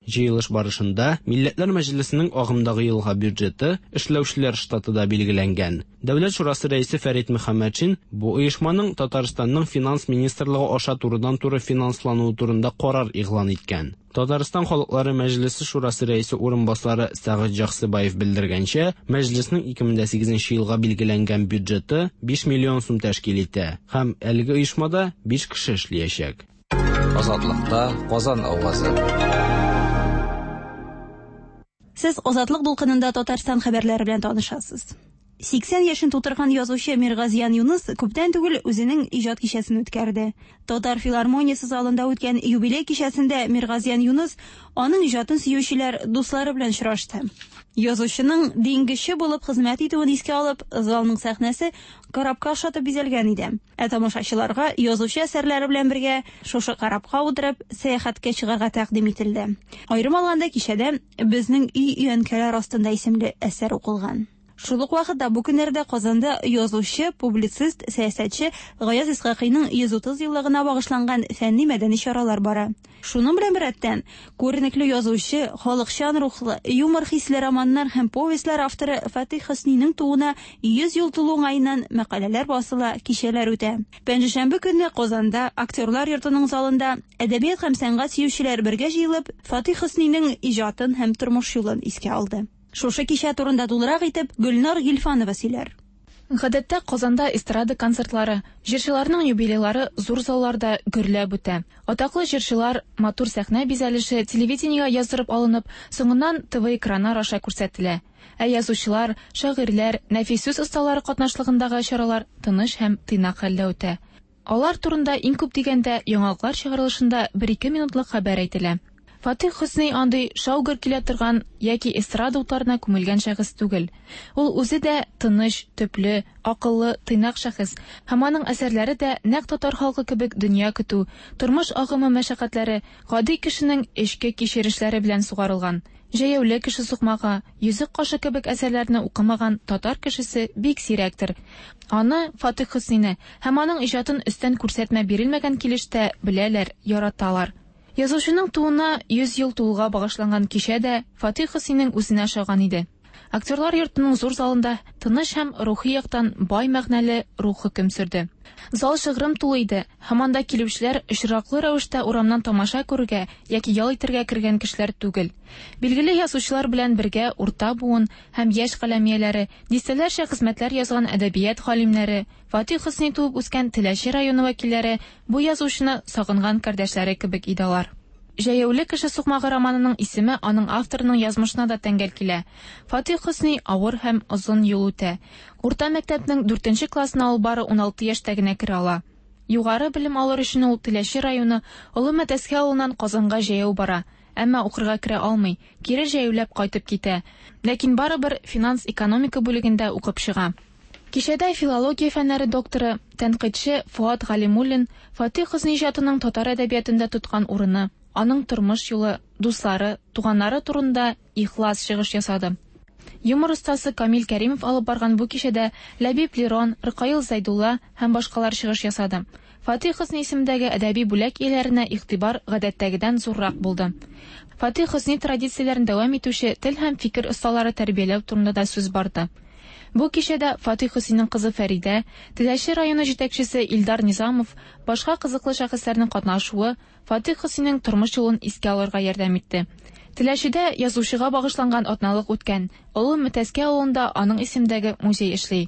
Җыелыш барышында Милләтләр Мәҗлесенең агымдагы елга бюджеты, эшләүчеләр штаты да билгеләнгән. Дәүләт Шурасы рәисе Фәрит Мөхәммәтшин бу оешманың Татарстанның финанс министрлыгы аша турыдан-туры финанслануы турында карар игълан иткән. Татарстан Халыклары Мәҗлесе Шурасы рәисе урынбасары Сәгыйть Җаксыбаев белдергәнчә, мәҗлеснең ике мең дә сигезенче елга билгеләнгән бюджеты биш миллион сум тәшкил итә һәм әлеге оешмада биш кеше эшләячәк. Азатлыкта Казан авазы. Сез Азатлык дулкынында Татарстан хәбәрләре белән танышасыз. Сиксән яшен тутырган язучы Миргазиян Юныс күптән түгел үзенең иҗат кичәсен үткәрде. Татар филармониясе залында үткән юбилей кичәсендә Миргазиян Юныс аның иҗатын сөючеләр, дуслары белән очрашты. Язучының диңгезче булып хезмәт итүен искә алып, залның сәхнәсе корабка охшатып бизәлгән иде. Ә тамашачыларга язучы әсәрләре белән бергә шушы корабка утырып сәяхәткә чыгарга тәкъдим ителде. Аерым алганда кичәдә Безнең өй өянкәләр астында исемле әсәр укылган. Шул ук вакытта бу көннәрдә Казанда язучы, публицист, сәясәтче Гаяз Исхакыйның йөз утыз еллыгына багышланган фәнни-мәдәни чаралар бара. Шуның белән беррәттән, күренекле язучы, халыкчан рухлы, юмор хисле романнар һәм повестьлар авторы Фатих Хөсниның тууына йөз ел тулу уңаеннан мәкаләләр басыла, кичәләр үтә. Пәнҗешәмбе көнне Казанда Актерлар йортының залында әдәбият һәм сәнгать сөючеләр бергә җыелып, Фатих Хөсниның иҗатын һәм тормыш юлын искә алды. Шушы кичә турында тулырак итеп Гөлнар Гилфанова сөйләр. Гадәттә Казанда эстрада концертлары, җырчыларның юбилейлары зур залларда гөрләп үтә. Атаклы җырчылар матур сәхнә бизәлеше телевидениегә яздырып алынып, соңыннан Т В экраннар аша күрсәтелә. Ә язучылар, шагыйрьләр, нәфис сүз осталары катнашлыгындагы чаралар тыныч һәм тыйнак хәлдә үтә. Алар турында иң күп дигәндә яңалыклар чыгарылышында бер-ике минутлык хәбәр әйтелә. Фатих Хөсни андый шау-гөр килә торган яки эстрада утларына күмелгән шәхес түгел. Ул үзе дә тыныч, төпле, акыллы, тыйнак шәхес һәм аның әсәрләре дә нәкъ татар халкы кебек дөнья көтү, тормыш агымы мәшәкатьләре, гади кешенең эчке кичерешләре белән сугарылган. Җәяүле кеше сукмагы, Йөзек кашы кебек әсәрләрне укымаган татар кешесе бик сирәктер. Аны, Фатих Хөснине һәм аның иҗатын өстән күрсәтмә бирелмәгән килештә беләләр, яраталар. Язучының тууына йөз ел тулуга багышланган кичә дә Фатих Хөснинең үзенә ошаган иде. Актерлар йортының зур залында тыныч һәм рухи яктан бай мәгънәле рух хөкем сөрде. Зал шыгрым тулы иде, һәм анда килүчеләр очраклы рәвештә урамнан тамаша күрергә яки ял итәргә кергән кешеләр түгел. Билгеле язучылар белән бергә урта буын һәм яшь каләм ияләре, дистәләрчә хезмәтләр язган әдәбият галимнәре, Фатих Хөсни туып үскән Теләче районы вәкилләре бу язучыны сагынган кардәшләре кебек иде алар. Җәяүле кеше сукмагы романының исеме аның авторының язмышына да тәңгәл килә. Фатих Хөсни авыр һәм озын юл үтә. Урта мәктәпнең дүртенче классына ул бары уналты яшьтә генә керә ала. Югары белем алыр өчен ул Теләче районы Олы Мәтәскә авылыннан Казанга җәяү бара, әмма укырга керә алмый, кире җәяүләп кайтып китә. Ләкин барыбер финанс-экономика бүлегендә укып чыга. Кичәдә филология фәннәре докторы, тәнкыйтьче Фуат Галимуллин Фатих Хөсни иҗатының татар әдәбиятында тоткан урыны, аның тормыш юлы, дуслары, туганнары турында ихлас чыгыш ясады. Юмор остасы Камил Кәримов алып барган бу кичәдә Ләбиб Лерон, Ркаил Зәйдулла һәм башкалар чыгыш ясады. Фатих Хөсни исемендәге әдәби бүләк ияләренә игътибар гадәттәгедән зуррак булды. Фатих Хөсни традицияләрен дәвам итүче тел һәм фикер осталары тәрбияләү турында да сүз барды. Бу кичәдә Фатих Хөснинең кызы Фәридә, Теләче районы җитәкчесе Илдар Низамов, башка кызыклы шәхесләрнең катнашуы Фатих Хөснинең тормыш юлын искә алырга ярдәм итте. Теләчедә язучыга багышланган атналык үткән. Олы Мәтәскә авылында аның исемендәге музей эшли.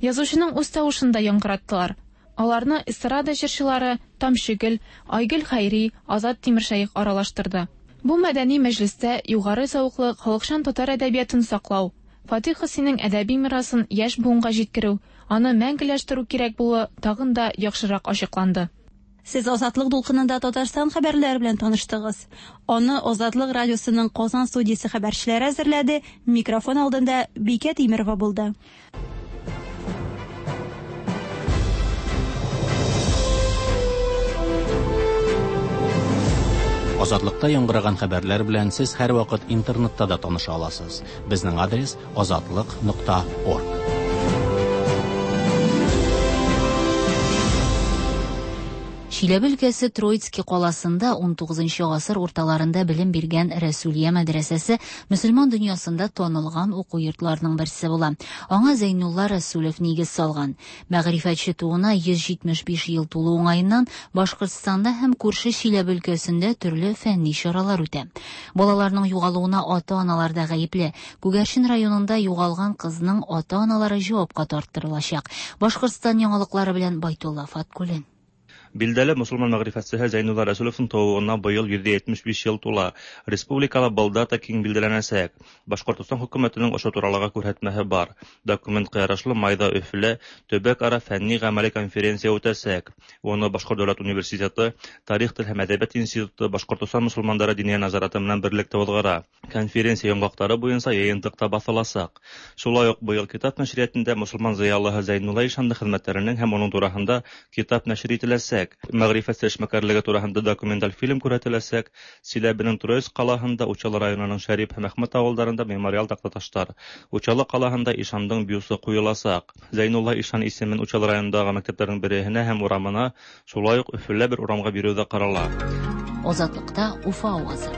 Язучының үз тавышын да яңгыраттылар. Аларны эстрада җырчылары Тамчыгөл, Айгөл Хәйри, Азат Тимершәех аралаштырды. Бу мәдәни мәҗлестә югары зәвыклы халыкчан татар әдәбиятын саклау, Фатих Хөснинең әдәби мирасын яшь буынга җиткерү, аны мәңгеләштерү кирәк булуы тагын да яхшырак ачыкланды. Сез Азатлык дулкынында Татарстан хәбәрләре белән таныштыгыз. Аны Азатлык радиосының Казан студиясе хәбәрчеләре әзерләде. Микрофон алдында Бикә Тимерова булды. Азатлыкта яңгыраган хәбәрләр белән сез һәрвакыт интернетта да таныша аласыз. Безнең адрес азатлык нокта орг. Чиләбе өлкәсе Троицкий каласында унтугызынчы гасыр урталарында белем биргән Рәсүлия мәдрәсәсе мөселман дөньясында танылган уку йортларының берсе була. Аңа Зәйнулла Рәсүлев нигез салган. Мәгърифәтче тууына йөз җитмеш биш ел тулу уңаеннан Башкортстанда һәм күрше Чиләбе өлкәсендә төрле фәнни чаралар үтә. Балаларның югалуына ата-аналар да гаепле. Күгәрчен районында югалган кызның ата-аналары җавапка тарттырылачак. Башкортстан яңалыклары белән Байтулла Фаткуллин. Билдәле мөселман мәгърифәтчесе Зәйнулла Рәсүлевның тууына быел йөз җитмеш биш ел тула. Республикала был дата киң билдәләнәсәк. Башкортостан хөкүмәтенең ошо туралыга күрһәтмәһе бар. Документка ярашлы майда Өфөлә төбәк-ара фәнни гамәли конференция үтәсәк. Уны Башкорт дәүләт университеты, Тарих, тел һәм әдәбият институты, Башкортостан мөселмандары диния назараты менән берлектә уҙғара. Конференция йомғаҡтары буйынса йыйынтыҡта баҫыласаҡ. Шулай уҡ быйыл китап нәшриәтендә мөселман зыялыһы Зәйнулла ишанды хеҙмәттәренең һәм уның тураһында китап нәшер ителәсәк. Мәгърифәтсе эшмәкәрлеге тураһында документаль фильм күрһәтеләсәк. Силәбенең Троицк ҡалаһында, Учалы районының Шәрип һәм Әхмәт ауылдарында мемориал таҡтаташтар. Учалы ҡалаһында ишандың бюсы ҡуйыласаҡ. Зәйнулла ишан исемен Учалы районындағы мәктәптәрҙең береһенә һәм урамына, шулай уҡ Өфөлә бер урамға биреү ҙә ҡарала. Азатлыҡта Уфа ауазы.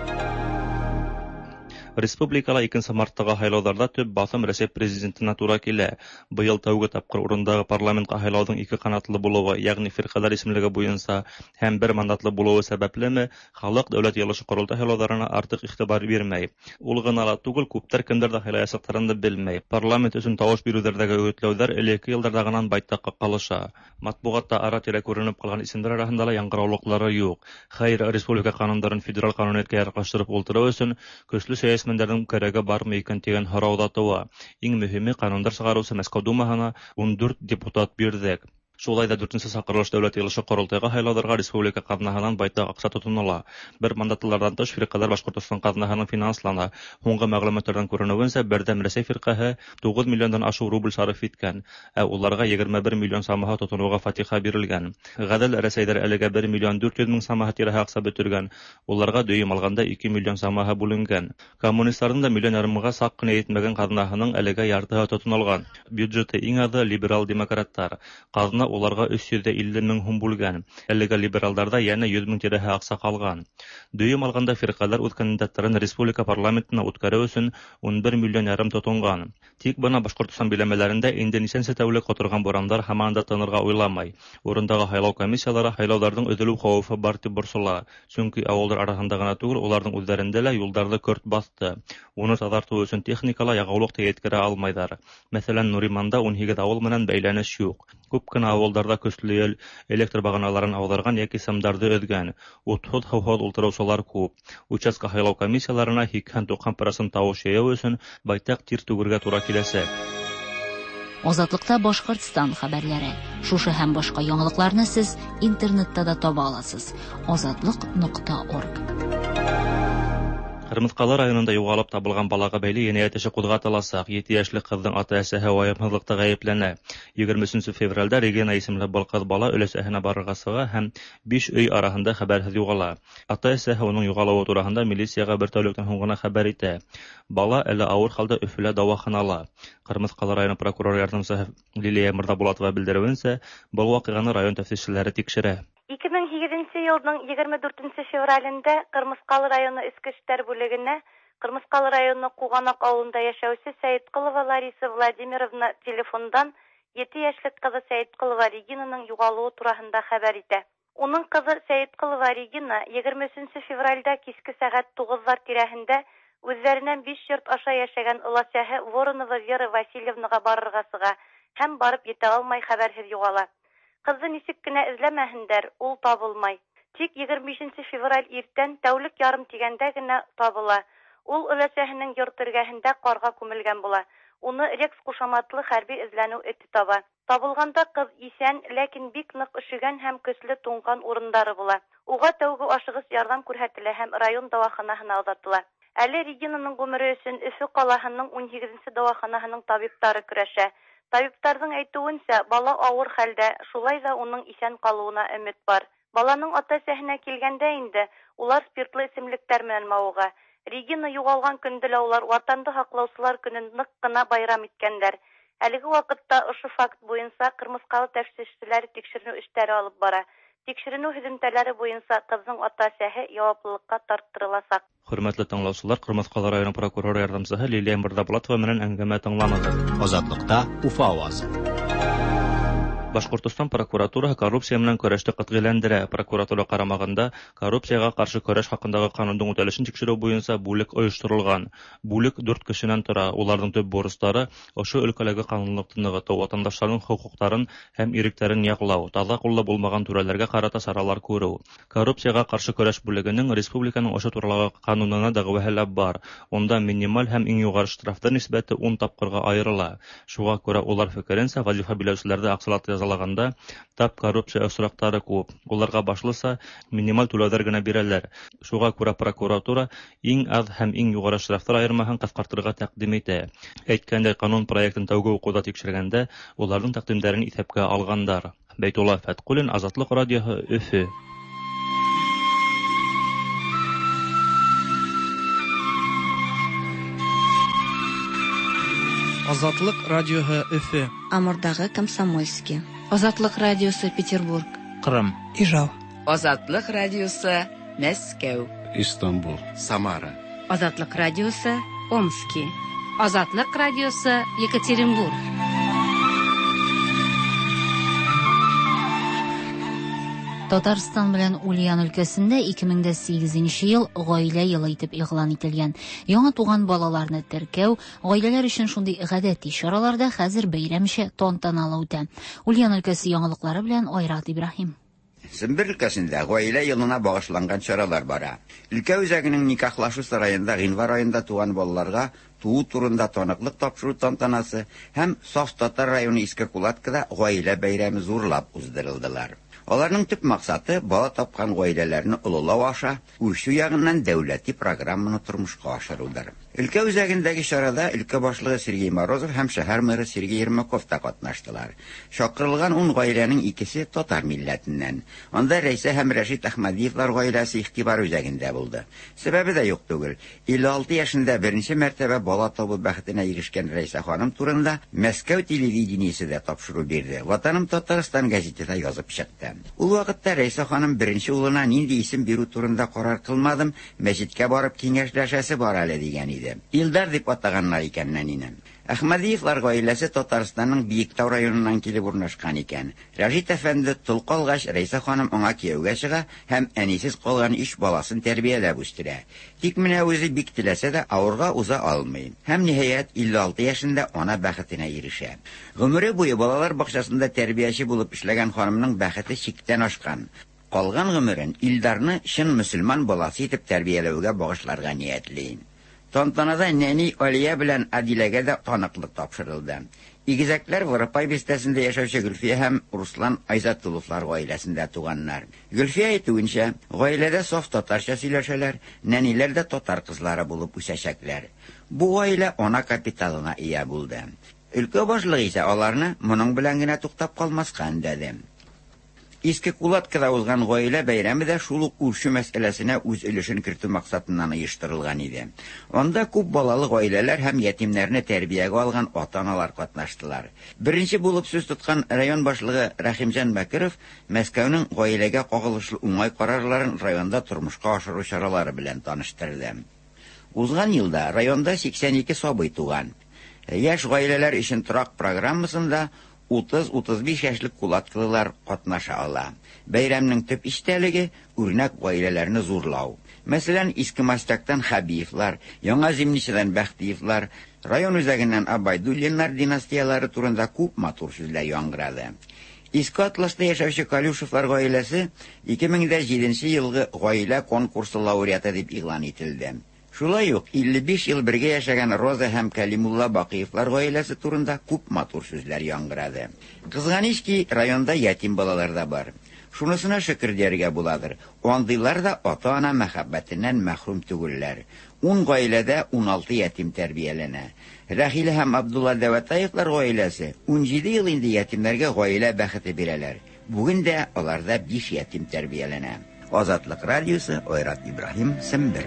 Республикала икенсе марттағы һайлауҙарҙа төп баҫым Рәсәй президентына тура килә. Быйыл тәүге тапҡыр урындағы парламентҡа һайлауҙың ике ҡанатлы булыуы, йәғни фирҡәләр исемлеге буйынса һәм бер мандатлы булыуы сәбәплеме, халыҡ дәүләт йыйылышы ҡоролтай һайлауҙарына артыҡ иғтибар бирмәй. Ул ғына ла түгел, күптәр кемдәрҙе һайлаясаҡтарын да белмәй. Парламент өсөн тауыш биреүҙәрҙәге өгөтләүҙәр элекке йылдарҙағынан байтаҡҡа ҡалыша. Матбуғатта ара-тирә күренеп ҡалған исемдәр араһында ла яңғыраулыҡлары юҡ. Хәйер, республика ҡанундарын федераль ҡануниәткә яраҡлаштырып ултырыу өсөн көслө сәйәси Мендәрҙең кәрәге бармы икән тигән һорау ҙа тыуа. Иң мөһиме, ҡанундар сығарыусы Мәскәү Думаһына ун дүрт депутат бирҙек. Шулай да дүртенсе саҡырылыш дәүләт йыйылышы ҡоролтайға һайлауҙарға республика ҡаҙнаһынан байтаҡ аҡса тотонола. Бер мандатлыларҙан тыш фирҡәләр Башҡортостан ҡаҙнаһынан финанслана. Һуңғы мәғлүмәттәрҙән күренеүенсә, Берҙәм Рәсәй фирҡәһе туғыҙ миллиондан ашыу рубль сарыф иткән, ә уларға егерме бер миллион самаһы тотоноуға фатиха бирелгән. Ғәҙел Рәсәйҙәр әлегә бер миллион дүрт йөҙ мең самаһы тирәһе аҡса бөтөргән, уларға дөйөм алғанда ике миллион самаһы бүленгән. Коммунистарҙың да миллион ярымға саҡ ҡына етмәгән ҡаҙнаһының әлегә яртыһы тотонолған. Бюджеты иң аҙы либерал-демократтар. Ҡаҙна уларға өс йөҙ илле мең һум бүлгән. Әлегә либералдарҙа йәнә йөҙ мең тирәһе аҡса ҡалған. Дөйөм алғанда фирҡәләр үҙ кандидаттарын республика парламентына үткәреү өсөн ун бер миллион ярым тотонған. Тик бына Башҡортостан биләмәләрендә инде нисәнсе тәүлек ҡоторған бурандар һаман да тынырға уйламай. Урындағы һайлау комиссиялары һайлауҙарҙың өҙөлөү хәүефе бар тип борсола. Сөнки ауылдар араһында ғына түгел, уларҙың үҙҙәрендә лә юлдарҙы көрт баҫты. Уны таҙартыу өсөн техникала яғыулыҡ та еткерә алмайҙар. Мәҫәлән, Нуриманда ун һигеҙ ауыл менән бәйләнеш юҡ. Күп кенә ауылдарҙа көслө ел электр бағаналарын ауҙарған йәки сымдарҙы өҙгән. Утһыҙ, һыуһыҙ ултырыусылар күп. Участка һайлау комиссияларына һикһән-туҡһан процент тауыш йыйыу өсөн байтаҡ тир түгергә тура киләсәк. Азатлыкта Башҡортостан хәбәрләре. Шушы һәм башҡа яңалыҡларны сез интернетта да таба аласыз. Азатлык нуҡта орг. Ҡырмыҫҡалы районында юғалып табылған балаға бәйле енәйәт эше ҡуҙғатыласаҡ. Ете йәшлек ҡыҙҙың ата-әсәһе вайымһыҙлыҡта ғәйепләнә. Егерме өсөнсө февралдә Регина исемле был ҡыҙ бала өләсәһенә барырға сыға һәм биш өй араһында хәбәрһеҙ юғала. Ата-әсәһе уның юғалыуы тураһында милицияға бер тәүлектән һуң ғына хәбәр итә. Бала әле ауыр хәлдә Өфөлә дауаханала. Ҡырмыҫҡалы районы прокурор ярҙамсыһы Лилия Мырҙабулатова белдереүенсә, был ваҡиғаны район тәфтишселәре тикшерә. Ике мең һигеҙенсе йылдың егерме дүртенсе февралендә Ҡырмыҫҡалы районы Эске эштәр бүлегенә Ҡырмыҫҡалы районы Ҡуғанаҡ ауылында йәшәүсе Сәйетҡолова Лариса Владимировна телефондан ете йәшлек ҡыҙы Сәйетҡолова Регинаның юғалыуы тураһында хәбәр итә. Уның ҡыҙы Сәйетҡолова Регина егерме өсөнсө февралдә киске сәғәт туғыҙҙар тирәһендә үҙҙәренән биш йорт аша йәшәгән оләсәһе Воронова Вера Васильевнаға барырға сыға һәм барып етә алмай хәбәрһеҙ юғала. Ҡыҙҙы нисек кенә эҙләмәһендәр, ул табылмай. Тик егерме бишенсе февраль иртән тәүлек ярым тигәндә генә табыла. Ул өләсәһенең йорт эргәһендә ҡарға күмелгән була. Уны Рекс ҡушаматлы хәрби эҙләнеү эте таба. Табылғанда ҡыҙ иҫән, ләкин бик ныҡ өшөгән һәм көслө туңған урындары була. Уға тәүге ашығыс ярҙам күрһәтелә һәм район дауаханаһына оҙатыла. Әле Регинаның ғүмере өсөн Өфө ҡалаһының ун һигеҙенсе дауаханаһының табиптары көрәшә. Табиптарҙың әйтеүенсә, бала ауыр хәлдә, шулай ҙа уның иҫән ҡалыуына өмөт бар. Баланың ата-әсәһенә килгәндә инде, улар спиртлы эсемлектәр менән мауыға. Регина юғалған көндө лә улар Ватанды һаҡлаусылар көнөн ныҡ ҡына байрам иткәндәр. Әлеге ваҡытта ошо факт буйынса Ҡырмыҫҡалы тәфтишселәре тикшеренеү эштәре алып бара. Тикшеренеү һөҙөмтәләре буйынса ҡыҙҙың ата-әсәһе яуаплылыҡҡа тарттырыласаҡ. Хөрмәтле тыңлаусылар, Ҡырмыҫҡалы районы прокуроры ярҙамсыһы Лилия Мырҙабулатова менән әңгәмә тыңланығыҙ. Азатлыкта Уфа ауазы. Башҡортостан прокуратураһы коррупция менән көрәште ҡәтғиләндерә. Прокуратура ҡарамағында коррупцияға ҡаршы көрәш хаҡындағы ҡанундың үтәлешен тикшереү буйынса бүлек ойошторолған. Бүлек дүрт кешенән тора. Уларҙың төп бурыстары ошо өлкәләге ҡанунлыҡты нығытыу, ватандаштарҙың хоҡуҡтарын һәм иректәрен яҡлау, таҙа ҡуллы булмаған түрәләргә ҡарата саралар күреү. Коррупцияға ҡаршы көрәш бүлегенең республиканың ошо туралағы ҡанунына дәғүәһе лә бар. Унда минималь һәм иң юғары штрафтар нисбәте ун тапҡырға айырыла. Шуға күрә улар фекеренсә, вазифа биләүселәрҙе аҡсалата язалағанда тап коррупция осраҡтары күп. Уларға башлыса минималь түләүҙәр генә бирәләр. Шуға күрә прокуратура иң аҙ һәм иң юғары штрафтар айырмаһын ҡыҫҡартырға тәҡдим итә. Әйткәндәй, ҡанун проектын тәүге уҡыуҙа тикшергәндә уларҙың тәҡдимдәрен иҫәпкә алғандар. Бәйтулла Фәтҡуллин, Азатлыҡ радиоһы, Өфө. Азатлык радиоһы Өфө. Амурдағы Комсомольский. Азатлык радиосы Петербург. Ҡырым. Ижау. Азатлык радиосы Мәскәү. Истанбул. Самара. Азатлык радиосы Омски. Азатлык радиосы Екатеринбург. Татарстан белән Ульян өлкәсендә ике мең дә сигеҙенсе йыл ғаилә йылы итеп игълан ителгән. Яңа туған балаларны теркәү, ғаиләләр өчен шундый гадәти чаралар да хәзер бәйрәмчә тантаналы үтә. Ульян өлкәсе яңалыклары белән Айрат Ибраһим. Сембер өлкәсендә ғаилә йылына багышланган чаралар бара. Өлкә үзәгенең никахлашу сараенда гыйнвар айында туган балаларга туу турында таныклык тапшыру тантанасы һәм Саф Татар районы Иске Кулаткада гаилә бәйрәме зурлап уздырылдылар. Аларның төп максаты бала тапкан гаиләләрне олылау аша үрчү ягыннан дәүләти программаны тормышка ашырудыр. Өлкә үзәгендәге чарада өлкә башлыгы Сергей Морозов һәм шәһәр мэры Сергей Ермаков та катнаштылар. Чакырылган ун гаиләнең икесе татар милләтеннән. Анда Рәйсә һәм Рәшит Әхмәдиевлар гаиләсе игътибар үзәгендә булды. Сәбәбе дә юк түгел. илле алты яшендә беренче мәртәбә бала табу бәхетенә ирешкән Рәйсә ханым турында Мәскәү телевидениесе дә тапшыру бирде. Ватаным Татарстан гәзите дә язып чыкты. Ул вакытта Рәйсә ханым беренче улына нинди исем бирү турында карар кылмадым, мәчеткә барып киңәшләшәсе бар әле дигән иде. Илдар дип атаганнар икән нәнине. Әхмәдиевлар гаиләсе Татарстанның Биектау районыннан килеп урнашкан икән. Рәшит әфәнде тол калгач, Рәйсә ханым аңа кияүгә чыга һәм әнисез калган өч баласын тәрбияләп үстерә. Тик менә үзе бик теләсә дә авырга уза алмый. Һәм ниһаять илле алты яшендә ана бәхетенә ирешә. Гомере буе балалар бакчасында тәрбияче булып эшләгән ханымның бәхете чиктән ашкан. Калган гомерен Илдарны чын мөселман баласы итеп тәрбияләүгә багышларга ниятли. Тантанада нәни Алия белән Адиләгә дә таныклык тапшырылды. Игезәкләр Воропай бистәсендә яшәүче Гөлфия һәм Руслан Айзатулловлар гаиләсендә туганнар. Гөлфия әйтүенчә, гаиләдә саф татарча сөйләшәләр, нәниләр дә татар кызлары булып үсәчәкләр. Бу гаилә ана капиталына ия булды. Өлкә башлыгы исә аларны моның белән генә туктап калмаска өндәде. Иске Кулаткада узган гаилә бәйрәме дә шул ук үрчү мәсьәләсенә үз өлешен кертү максатыннан оештырылган иде. Анда күп балалы гаиләләр һәм ятимнәрне тәрбиягә алган ата-аналар катнаштылар. Беренче булып сүз тоткан район башлыгы Рәхимҗан Бәкиров Мәскәүнең гаиләгә кагылышлы уңай карарларын районда тормышка ашыру чаралары белән таныштырды. Узган елда районда сиксән ике сабый туган. Яшь гаиләләр өчен торак программасында утыз-утыз биш яшьлек кулаткылылар катнаша ала. Бәйрәмнең төп истәлеге үрнәк гаиләләрне зурлау. Мәсәлән, Иске Мастактан Хабиевлар, Яңа Зимничәдән Бәхтиевлар, район үзәгеннән Абайдуллиннар династиялары турында күп матур сүзләр яңгырады. Иске Атласта яшәүче Калюшевлар гаиләсе ике мең дә җиденче елгы гаилә конкурсы лауреаты дип игълан ителде. Шулай ук илле биш ел бергә яшәгән Роза һәм Калимулла Бакыевлар гаиләсе турында күп матур сүзләр яңгырады. Кызганыч ки, районда ятим балалар да бар. Шунысына шөкер дияргә буладыр. Андыйлар да ата-ана мәхәббәтеннән мәхрүм түгелләр. Ун гаиләдә ун алты ятим тәрбияләнә. Рәхилә һәм Абдулла Дәвәтаевлар гаиләсе ун җиде ел инде ятимнәргә гаилә бәхете бирәләр. Бүген дә аларда биш ятим тәрбияләнә. Азатлык радиосы, Айрат Ибраһим, Сембер.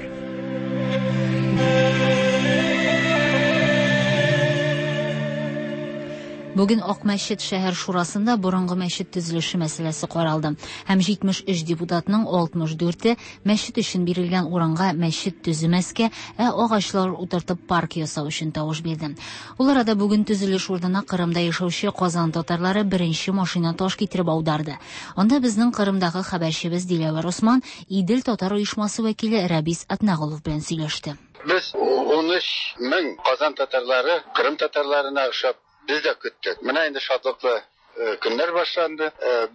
Бүген Акмәчет шәһәр шурасында борынгы мәчет төзелеше мәсьәләсе каралды. Һәм җитмеш өч депутатның алтмыш дүрте мәчет өчен бирелгән урынга мәчет төземәскә, ә агачлар утыртып парк ясау өчен тавыш бирде. Ул арада бүген төзелеш урынына Кырымда яшәүче Казан татарлары беренче машина таш китереп аударды. Анда безнең Кырымдагы хәбәрчебез Диләвәр Осман Идел татар оешмасы вәкиле Рәбис Атнагулов белән сөйләште. Без ун өч мең Казан татарлары Кырым татарларына охшап без дә көттек. Менә инде шатлыклы көннәр башланды.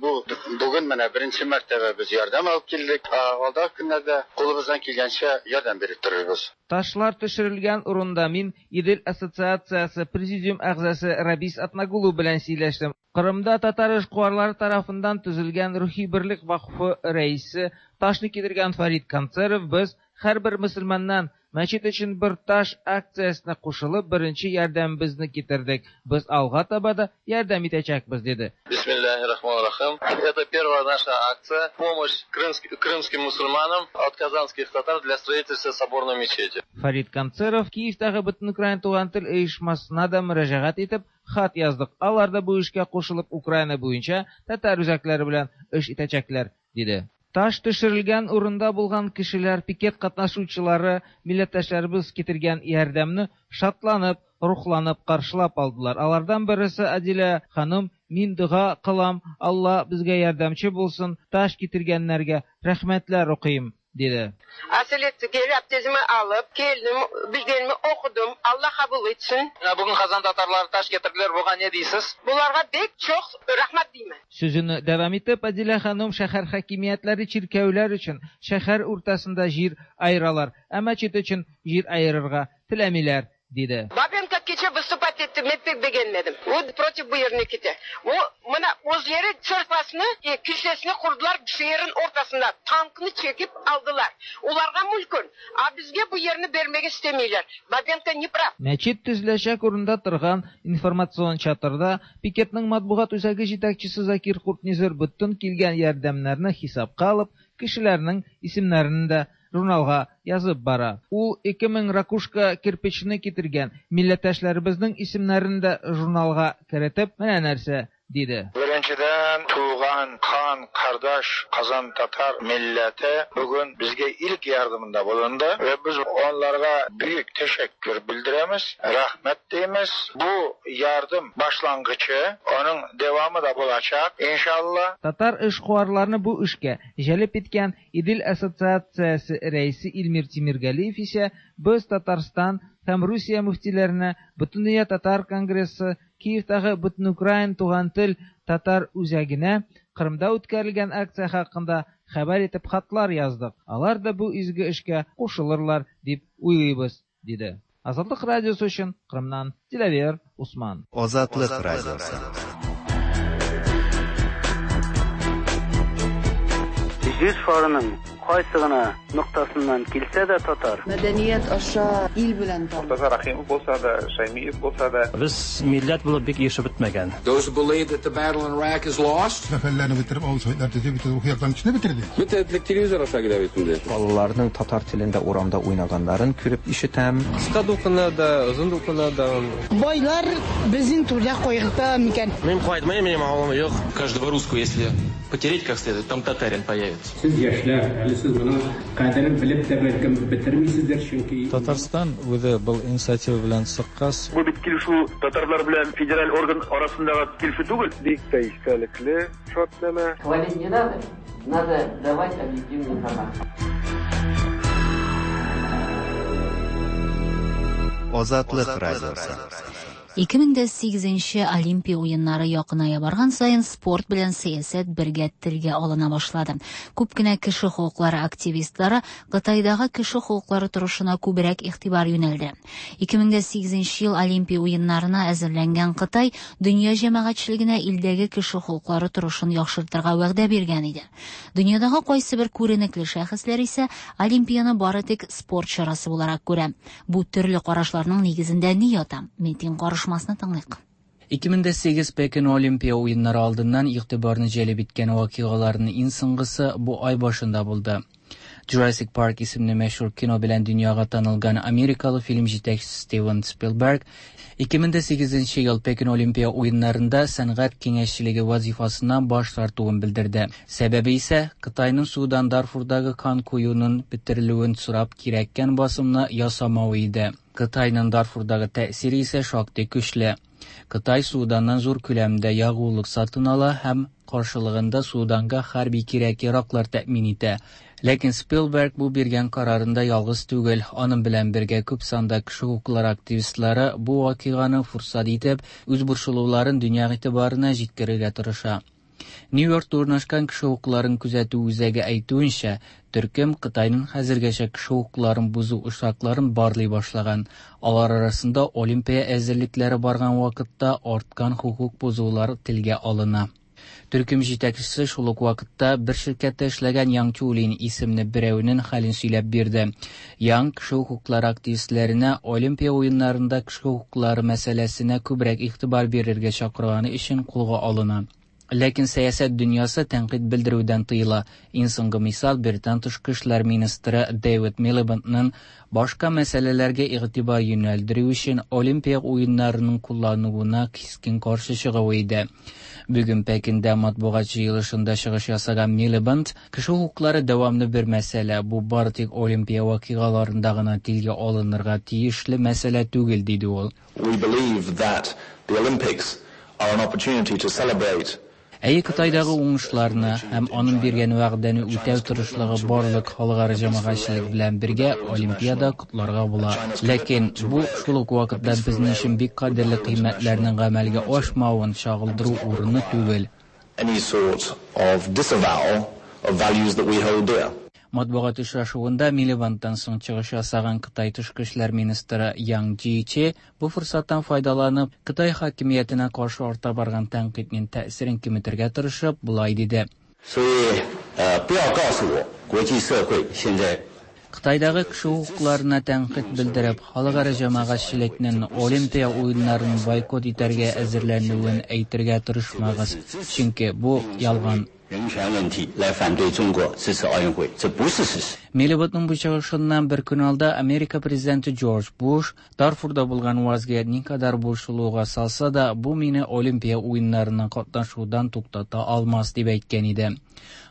Бу бүген менә беренче мәртәбә без ярдәм алып килдек. Алдагы көннәрдә кулыбыздан килгәнчә ярдәм биреп торырбыз. Ташлар төшерелгән урында мин Идел ассоциациясе президиум әгъзасы Рабис Атнагулов белән сөйләштем. Кырымда татар эшкуарлары тарафыннан төзелгән Рухи берлек вакыфы рәисе ташны китергән Фарид Концеров без һәрбер мөселманнан мәчет өчен бер таш акциясенә кушылып беренче ярдәмебезне китердек. Без алга таба да ярдәм итәчәкбез, диде. Бисмиллахир-рахманир-рахим. Это первая наша акция помощь крымским мусульманам от казанских татар для строительства соборной мечети. Фарид Концеров Киевтагы Бөтенукраин туган тел оешмасына да мөрәҗәгать итеп хат яздык. Алар да бу эшкә кушылып Украина буенча татар үзәкләре белән эш итәчәкләр, диде. Таш төшерелгән урында булган кешеләр, пикет катнашучылары, милләттәшләребез китергән ярдәмне шатланып, рухланып каршылап алдылар. Алардан берсе Адилә ханым, мин дога кылам, Алла безгә ярдәмче булсын, таш китергәннәргә рәхмәтләр укыйм, диде. Asilette abdestimi alıp geldim, bilgenimi okudum. Allah kabul etsin. Bugün Kazan tatarları taş getirdiler. Buga ne deysiz? Bularga bek çok rahmat deyman. Sözünü devam etip Adile hanım şəhər hakimiyyətləri çirkəvlər üçün şəhər ortasında jir ayıralar. Ə məçid üçün jir ayırırğa tiləmilər, диде. Бабенко кичә выступать итте, мин пек бегенмедем. Ул против бу ерне китә. Ул менә үзләре церквасны, килсәсен курдылар шәһәрнең уртасында. Танкны чекип алдылар. Уларга мүлкүн, а безгә бу ерне бермәгә истемиләр. Бабенко не прав. Мәчет төзеләчәк урында торган информацион чатырда пикетның матбугат үзәге җитәкчесе Закир Куртнизер бөтен килгән ярдәмнәрне хисапка алып, кешеләрнең исемнәрен дә журналга язып бара. Ул ике мең ракушка кирпичне китергән милләттәшләребезнең исемнәрен дә журналга керетеп, менә нәрсә диде. Беренчедән, туган, хан, кардаш, Казан татар милләте бүген безгә илк ярдәмендә булынды ва без аларга бөек тәшәккүр белдерәбез, рәхмәт димез. Бу ярдәм башлангычы, аның дәвамы да булачак, иншалла. Татар эшкуарларны бу эшкә җәлеп иткән Идел ассоциациясе рәисе Илмир Тимиргалиев исә без Татарстан һәм Русия мөфтиләренә, Бөтендөнья татар конгрессы, Киевтагы Бөтенукраин туган тел татар үзәгенә Кырымда үткәрелгән акция хакында хәбәр итеп хатлар яздык. Алар да бу изге эшкә кушылырлар дип уйлыйбыз, диде. Азатлык радиосы өчен Кырымнан Диләвер Усман. Азатлык радиосы. Җир шарының кайсы гына ноктасыннан килсә дә татар. Мәдәният аша ил белән таныш. Мортаза Рахимов булса да, Шаймиев булса да. Без милләт булып бик ешып бетмәгән. Those who believe that the battle in Iraq is lost. Зафәрләрне бетереп, авыл советлар төзеп, бөтен рухи яктан кешене бетерде. Бөтен телевизор аша килә бит инде. Балаларның татар телендә урамда уйнаганнарын күреп ишетәм. Кыска дулкыннарда, озын дулкыннарда. Байлар безнең түрдә кайгырта микән? Мин кайтмыйм, минем авылым юк. Каждого русского, если потереть как следует, там татарин появится. Сез яшьләр, әле сез моның кадерен белеп тә бәлкем бетермисездер, чөнки Татарстан үзе был инициатива белән чыккач, бу бит килешү татарлар белән федераль орган арасындагы килешү түгел. Бик тә истәлекле шартнамә. Хвалить не надо, надо давать объективную информацию. Азатлык радиосы. ике мең дә сигезенче Олимпия уеннары якыная барган саен спорт белән сәясәт бергә телгә алына башлады. Күп кенә кеше хокуклары активистлары Кытайдагы кеше хокуклары торышына күбрәк игътибар юнәлде. ике мең дә сигезенче ел Олимпия уеннарына әзерләнгән Кытай дөнья җәмәгатьчелегенә илдәге кеше хокуклары торышын яхшыртырга вәгъдә биргән иде. Дөньядагы кайсы бер күренекле шәхесләр исә Олимпияны бары тик спорт чарасы буларак күрә. Бу төрле карашларның нигезендә ни ята? Митинг карыш тыңлыйк. ике мең дә сигез Пекин Олимпия уеннары алдыннан игътибарны җәлеп иткән вакыйгаларның иң соңгысы бу ай башында булды. Jurassic Park исемле мәшһүр кино белән дөньяга танылган америкалы фильм җитәкчесе Стивен Спилберг ике мең дә сигезенче ел Пекин Олимпия уеннарында сәнгать киңәшчелеге вазифасыннан баш тартуын белдерде. Сәбәбе исә Кытайның Судан Дарфурдагы кан коюның бетерелүен сорап кирәккән басымны ясамавы иде. Кытайның Дарфурдагы тәэсире исә шактый көчле. Кытай Суданнан зур күләмдә ягулык сатын ала һәм каршылыгында Суданга хәрби кирәк-яраклар тәэмин итә. Ләкин Спилберг бу биргән карарында ялгыз түгел. Аның белән бергә күп санда кеше хокуклары активистлары бу вакыйганы фурсат итеп, үз борчылуларын дөнья игътибарына җиткерергә тырыша. Нью-Йоркта урнашкан кеше хокукларын күзәтү үзәге әйтүенчә, төркем Кытайның хәзергәчә кеше хокукларын бозу очракларын барлый башлаган. Алар арасында Олимпия әзерлекләре барган вакытта арткан хокук бозулар телгә алына. Төркем җитәкчесе шул ук вакытта бер ширкәттә эшләгән Яң Чулин исемле берәүнең хәлен сөйләп бирде. Яң кеше хокуклары активистләренә Олимпия уеннарында кеше хокуклары мәсьәләсенә күбрәк игътибар бирергә чакырганы өчен кулга алына. Ләкин сәясәт дөньясы тәнкыйть белдерүдән тыела. Иң соңгы мисал Британ тышкы эшләр министры Дэвид Милибендның башка мәсьәләләргә игътибар юнәлдерү өчен Олимпия уеннарының куллануына кискен каршы чыгуы иде. Бүген Пекиндә матбугат җыелышында чыгыш ясаган Милибенд, кеше хокуклары дәвамлы бер мәсьәлә, бу бары тик Олимпия вакыйгаларында гына телгә алынырга тиешле мәсьәлә түгел, диде ул. We believe that the Olympics are an opportunity to celebrate Әйе, Кытайдагы уңышларны һәм аның биргән вәгъдәне үтәү тырышлыгы барлык халыкара җәмәгатьчелек белән бергә Олимпиада котларга була. Ләкин бу шул ук вакытта безнең өчен бик кадерле кыйммәтләрнең гамәлгә ашмавын чагылдыру урыны түгел. Any sort of disavowal of values that we hold dear. Матбугат очрашуында Милибандтан соң чыгыш ясаган Кытай тышкы эшләр министры Ян Джичи бу форсаттан файдаланып, Кытай хакимиятенә каршы арта барган тәнкыйтьнең тәэсирен киметергә тырышып, болай диде. Кытайдагы кеше хокукларына тәнкыйть белдереп, халыкара җәмәгатьчелекнең Олимпия уеннарын бойкот итәргә әзерләнүен әйтергә тырышмагыз, чөнки бу ялган. Милибандның бу чыгышыннан бер көн алда Америка президенты Джордж Буш Дарфурда булган вазгыять никадәр борчылуга салса да, бу мине Олимпия уеннарына катнашудан туктата алмас дип әйткән иде.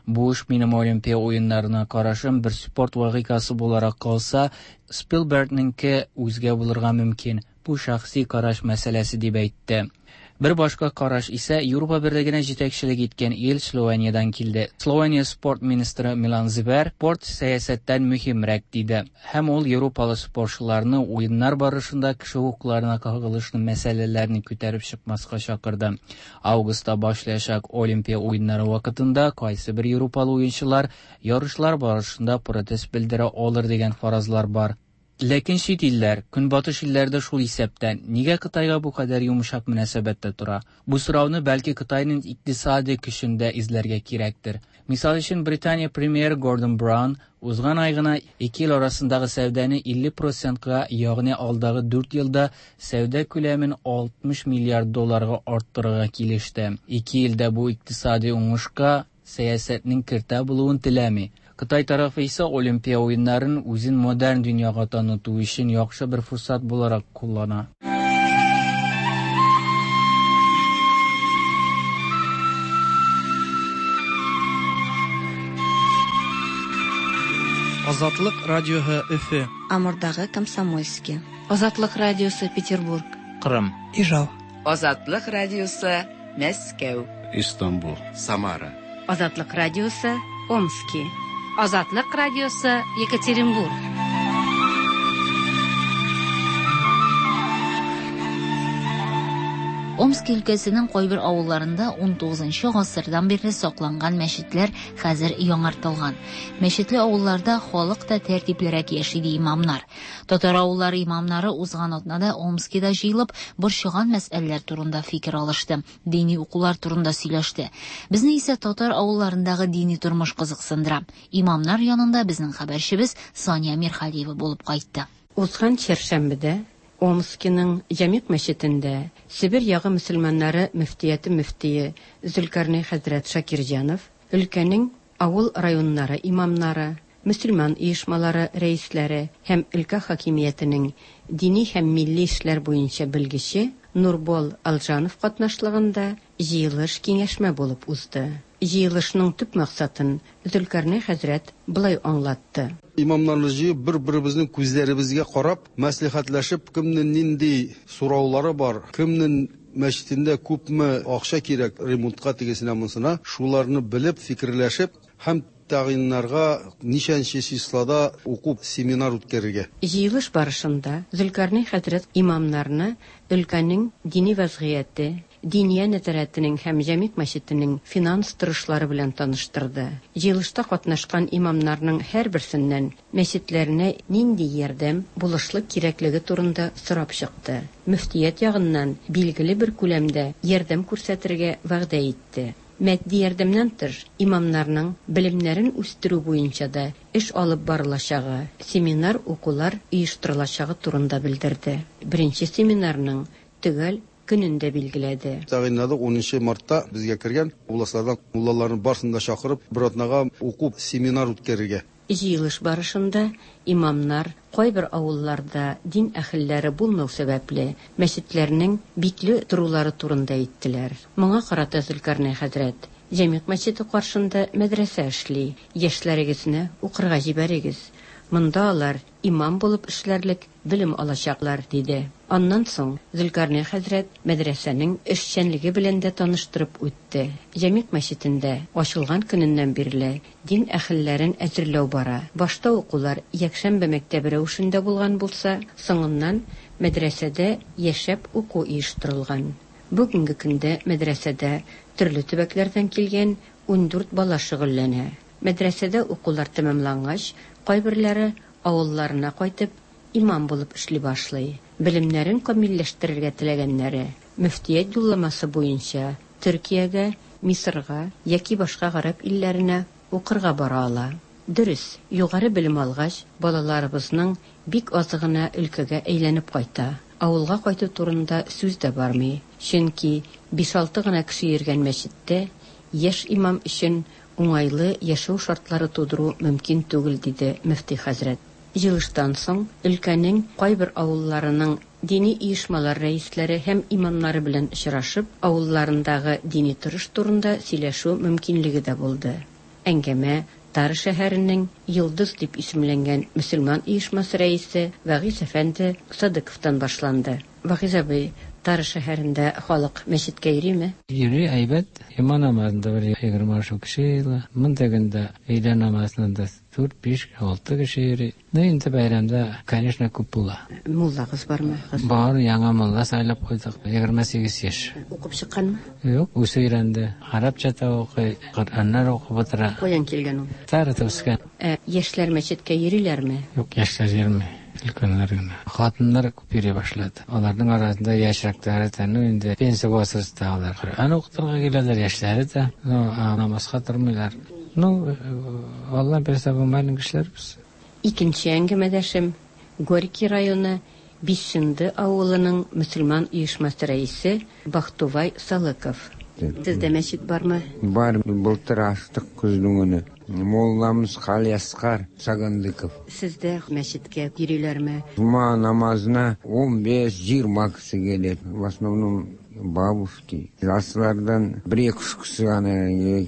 Буш минем Олимпия уеннарына карашым бер спорт вакыйгасы буларак калса, Спилбергнеңке үзгә булырга мөмкин. Бу шәхси караш мәсьәләсе дип әйтте. Бер башка караш исә Европа берлегенә җитәкчелек иткән ил Словениядән килде. Словения спорт министры Милан Зибер спорт сәясәттән мөһимрәк диде. Һәм ул европалы спортчыларны уеннар барышында кеше хокукларына кагылышлы мәсьәләләрне күтәреп чыкмаска чакырды. Августта башлаячак Олимпия уеннары вакытында кайсы бер европалы уенчылар ярышлар барышында протест белдерә алыр дигән фаразлар бар. Ләкин чит илләр, көнбатыш илләрдә шул исәптән, нигә Кытайга бу кадәр йомшак мөнәсәбәттә тора? Бу сорауны бәлки Кытайның икътисади көчендә эзләргә кирәктер. Мисал өчен, Британия премьер Гордон Браун узган ай гына ике ил арасындагы сәүдәне илле процентка, ягъни алдагы дүрт елда сәүдә күләмен алтмыш миллиард долларга арттырырга килеште. Ике илдә бу икътисади уңышка сәясәтнең кертә булуын теләми. Кытай тарафы исә Олимпия уеннарын үзен модерн дөньяга таныту өчен яхшы бер форсат буларак куллана. Азатлык радиоһы Өфө. Амурдагы Комсомольский. Азатлык радиосы Петербург. Кырым. Ижау. Азатлык радиосы Мәскәү. Истанбул. Самара. Азатлык радиосы Омски. Азатлык радиосы Екатеринбург. Омск өлкәсенең кайбер авылларында ун тугызынчы гасырдан бирле сакланган мәчетләр хәзер яңартылган. Мәчетле авылларда халык та тәртиплерәк яши ди имамнар. Татар авыллары имамнары узган атнада Омскида җыелып, борчыган мәсьәләләр турында фикер алышты, дини укулар турында сөйләште. Безне исә татар авылларындагы дини тормыш кызыксындыра. Имамнар янында безнең хәбәрчебез Сания Мирхалиева булып кайтты. Узган чәршәмбедә Омскиның Җәмигъ мәчетендә Себер ягы мөселманнары мөфтияте мөфтие Зөлкарнәй хәзрәт Шакирҗанов, өлкәнең авыл районнары имамнары, мөселман оешмалары рәисләре һәм өлкә хакимиятенең дини һәм милли эшләр буенча белгече Нурбол Алжанов катнашлыгында җыелыш киңәшмә булып узды. Җыелышның төп максатын Зөлкарнәй хәзрәт болай аңлатты. Имамнарны җыеп, бер-беребезнең күзләребезгә карап, мәслихәтләшеп, кемнең нинди сораулары бар, кемнең мәчетендә күпме акча кирәк ремонтка тегесенә монсына, шуларны белеп, фикерләшеп һәм тәгъйиннарга ничәнче числода уку семинар үткәрергә. Җыелыш барышында Зөлкарнәй хәзрәт имамнарны өлкәнең дини вазгыяте, Диния нәзарәтенең һәм Җәмигъ мәчетенең финанс торышлары белән таныштырды. Җыелышта катнашкан имамнарның һәрберсеннән мәчетләренә нинди ярдәм, булышлык кирәклеге турында сорап чыкты. Мөфтият ягыннан билгеле бер күләмдә ярдәм күрсәтергә вәгъдә итте. Матди ярдәмнән тыш, имамнарның белемнәрен үстерү буенча да эш алып барылачагы, семинар укулар оештырылачагы турында белдерде. Беренче семинарның төгәл көнен дә билгеләде. Тәгъйинләдек унынчы мартта безгә кергән областлардан муллаларны барысын да чакырып, бер атнага уку семинар үткәрергә. Җыелыш барышында имамнар кайбер авылларда дин әһелләре булмау сәбәпле мәчетләрнең бикле торулары турында әйттеләр. Моңа карата Зөлкарнәй хәзрәт: Җәмигъ мәчете каршында мәдрәсә эшли, яшьләрегезне укырга җибәрегез. Монда алар имам булып эшләрлек белем алачаклар, диде. Аннан соң Зөлкарнәй хәзрәт мәдрәсәнең эшчәнлеге белән дә таныштырып үтте. Җәмигъ мәчетендә ачылган көненнән бирле дин әһелләрен әзерләү бара. Башта укулар якшәмбе мәктәбе рәвешендә булган булса, соңыннан мәдрәсәдә яшәп уку оештырылган. Бүгенге көндә мәдрәсәдә төрле төбәкләрдән килгән ундүрт бала шөгыльләнә. Мәдрәсәдә укулар тәмамлангач, кайберләре авылларына кайтып имам булып эшли башлый. Белемнәрен камилләштерергә теләгәннәре мөфтият юлламасы буенча Төркиягә, Мисырга яки башка гарәп илләренә укырга бара ала. Дөрес, югары белем алгач, балаларыбызның бик азы гына өлкәгә әйләнеп кайта. Авылга кайту турында сүз дә бармый. Чөнки биш-алты гына кеше йөргән мәчеттә яшь имам өчен уңайлы яшәү шартлары тудыру мөмкин түгел, диде мөфти хәзрәт. Җыелыштан соң өлкәнең кайбер авылларының дини оешмалар рәисләре һәм имамнары белән очрашып, авылларындагы дини торыш турында сөйләшү мөмкинлеге дә булды. Әңгәмә Тары шәһәренең Йолдыз дип исемләнгән мөселман оешмасы рәисе Вагиз әфәнде Садыковтан башланды. Вагиз абый, Тары шәһәрендә халык мәчеткә йөриме? Йөри, әйбәт. Йома намазында бер егерме алты кеше йыйыла. Монда көндә өйлә намазында дүрт, биш, алты кеше йөри. Ну, инде бәйрәмдә, конечно, күп була. Муллагыз бармы? Бар, яңа мулла сайлап куйдык. Егерме сигез яшь. Укып чыкканмы? Юк, үзе өйрәнде. Арабча да укый, Коръәннәр укып утыра. Каян килгән ул? Тарыда үскән. Ә яшьләр мәчеткә йөриләрме? Юк, яшьләр йөрми. Өлкәннәр генә. Хатыннар күп йөри башлады. Аларның арасында яшьрәкләре дә, ну инде пенсия возрастындагылар. Коръән укытырга киләләр, яшьләре дә, ну, намазга тормыйлар. Ну, Алла бирсә, бу маленький кешеләр без. Икенче әңгәмәдәшем Горький районы Бишенде авылының мөселман оешмасы рәисе Бахтувай Салыков. Сездә мәчет бармы? Бар, былтыр ачтык көзнең көне. Молламыз Халиаскар Сагандыков. Сездә мәчеткә йөриләрме? Жума намазына он беш жиырма кеше келет. В основном бабушки. Жастардан бер екі үш кеше ғана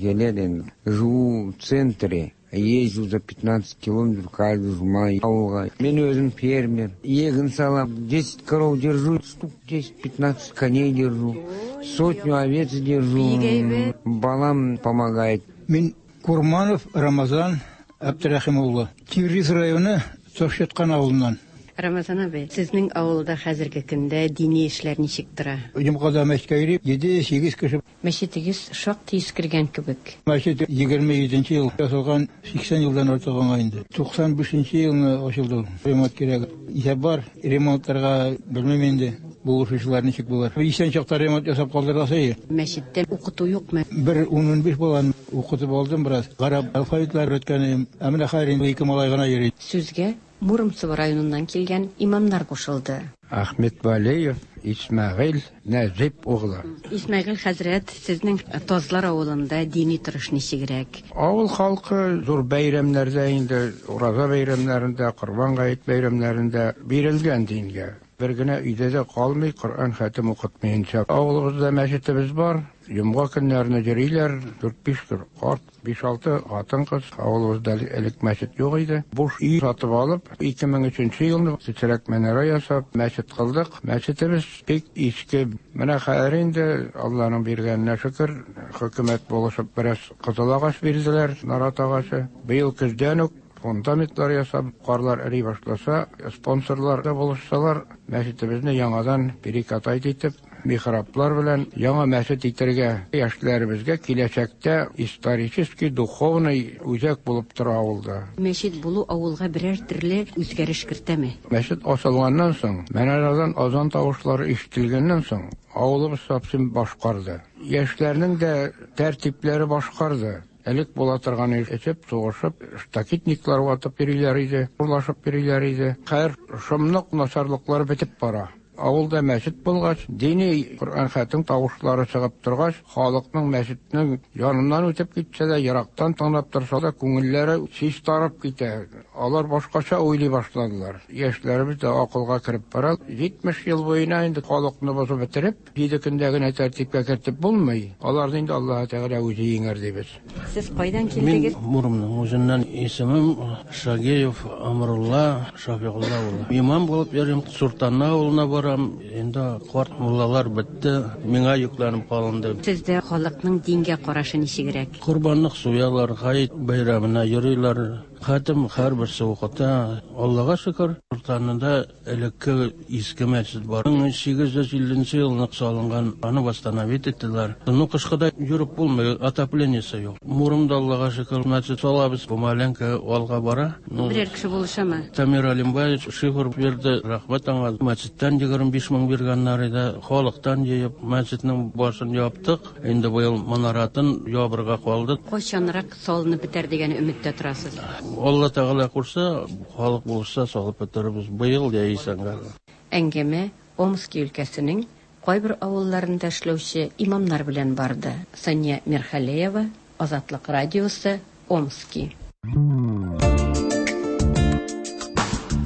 келеді енді. Живу в центре. Езжу за пятнадцать километров каждый жума ауылға. Мен өзім фермер. Егін салам, десять коров держу, штук десять-пятнадцать коней держу, сотню овец держу. Балам помогает. Мин Курманов Рамазан Абдрахим улы. Тиврис районы Тошеткан авылынан. Рамазан абый, сезнең авылда хәзерге көндә дини эшләр ничек тора? Йомгада мәчеткә йөри, җиде сигез кеше. Мәчетегез шактый искергән кебек. Мәчет егерме җиденче ел ясалган, сиксән елдан артык аңа инде. Туксан бишенче елны ачылды. Ремонт кирәк. Исәп бар, ремонтларга белмим инде. Булышучылар ничек булыр. Исән чакта ремонт ясап калдырасы иде. Мәчеттә укыту юкмы? Бер ун биш баланы укытып алдым бераз. Гарәп алфавитлар өйрәткән идем. Ә менә хәзер инде ике малай гына йөри. Сүзгә Муромцево районыннан килгән имамнар кушылды. Ахмед Валеев, Исмәгыйль Нәҗип углы. Исмәгыйль хәзрәт, сезнең Тазлар авылында дини торыш ничегрәк? Авыл халкы зур бәйрәмнәрдә инде, ураза бәйрәмнәрендә, Корбан гает бәйрәмнәрендә бирелгән дингә. Бер генә өйдә дә калмый, Коръән хәтем укытмыйынча. Авылыбызда мәчетебез бар. Йомга көннәренә йөриләр, дүрт-биш карт, биш-алты хатын-кыз. Авылыбызда элек мәчет юк иде. Буш өй сатып алып, ике мең өченче елны кечерәк манара ясап, мәчет кылдык. Мәчетебез бик иске. Менә хәзер инде Алланың биргәненә шөкер, хөкүмәт булышып бераз кызыл агач бирделәр, нарат агачы. Быел көздән үк фундаментлар ясап, карлар эри башласа, спонсорлар да булышсалар, мәчетебезне яңадан перекатать итеп, михраблар белән яңа мәчет итәргә, яшьләребезгә киләчәктә исторический, духовный үзәк булып тора авылда. Мәчет булу авылга берәр төрле үзгәреш кертәме? Мәчет ачылганнан соң, манарадан азан тавышлары ишетелгәннән соң, авылыбыз совсем башкарды. Яшьләрнең дә тәртипләре башкарды. Элек була торган эчеп, сугышып, штакетниклар ватып йөриләр иде, урлашып йөриләр иде. Хәер, шомлык начарлыклар бетеп бара. Авылда мәчет булгач, дини Коръән хәтем тавышлары чыгып торгач, халыкның мәчетнең яныннан үтеп китсә дә, ерактан тыңлап торса да, күңелләре чистарып китә. Алар башкача уйлый башладылар. Яшьләребез дә акылга кереп бара. Җитмеш ел буена инде халыкны бозып бетереп, җиде көндә генә тәртипкә кертеп булмый. Аларны инде Аллаһ Тәгалә үзе җиңәр дибез. Сез кайдан килдегез? Мин Муромның үзеннән, исемем Шагиев Амрулла Шафигулла улы. Имам булып йөрим, Суртанна авылына барам. торам. Инде карт муллалар бетте, миңа йөкләнеп калынды. Сездә халыкның дингә карашы ничегрәк? Корбанлык суялар, гает бәйрәменә йөриләр. Хатым һәрберсе укыта. Аллага шөкер, Уртанында элекке иске мәчет бар. мең сигез йөз илленче елны салынган, аны восстановить иттеләр. Ну, кышкыда йөреп булмый, отоплениесе юк. Мурымда Аллага шөкер, мәчет салабыз, помаленько алга бара. Ну, Берәр кеше булышамы? Тамир Алимбаевич шифр бирде, рәхмәт аңа. Мәчеттән егерме биш мең биргәннәр иде. Халыктан җыеп, мәчетнең башын яптык. Инде быел манаратын ябырга калды. Кайчанрак салынып бетәр дигән өметтә торасыз? Алла Тәгалә кушса, халык булса салып бетерербез быел яисә. Әңгәмә Омски өлкәсенең кайбер авылларында эшләүче имамнар белән барды. Сания Мирхалеева, Азатлык радиосы, Омски.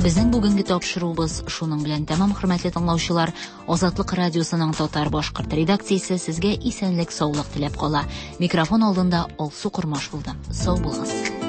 Безнең бүгенге тапшыруыбыз шуның белән тәмам, хөрмәтле тыңлаучылар. Азатлык радиосының татар-башкорт редакциясе сезгә исәнлек, саулык теләп кала. Микрофон алдында Алсу Кормаш булды. Сау булыгыз.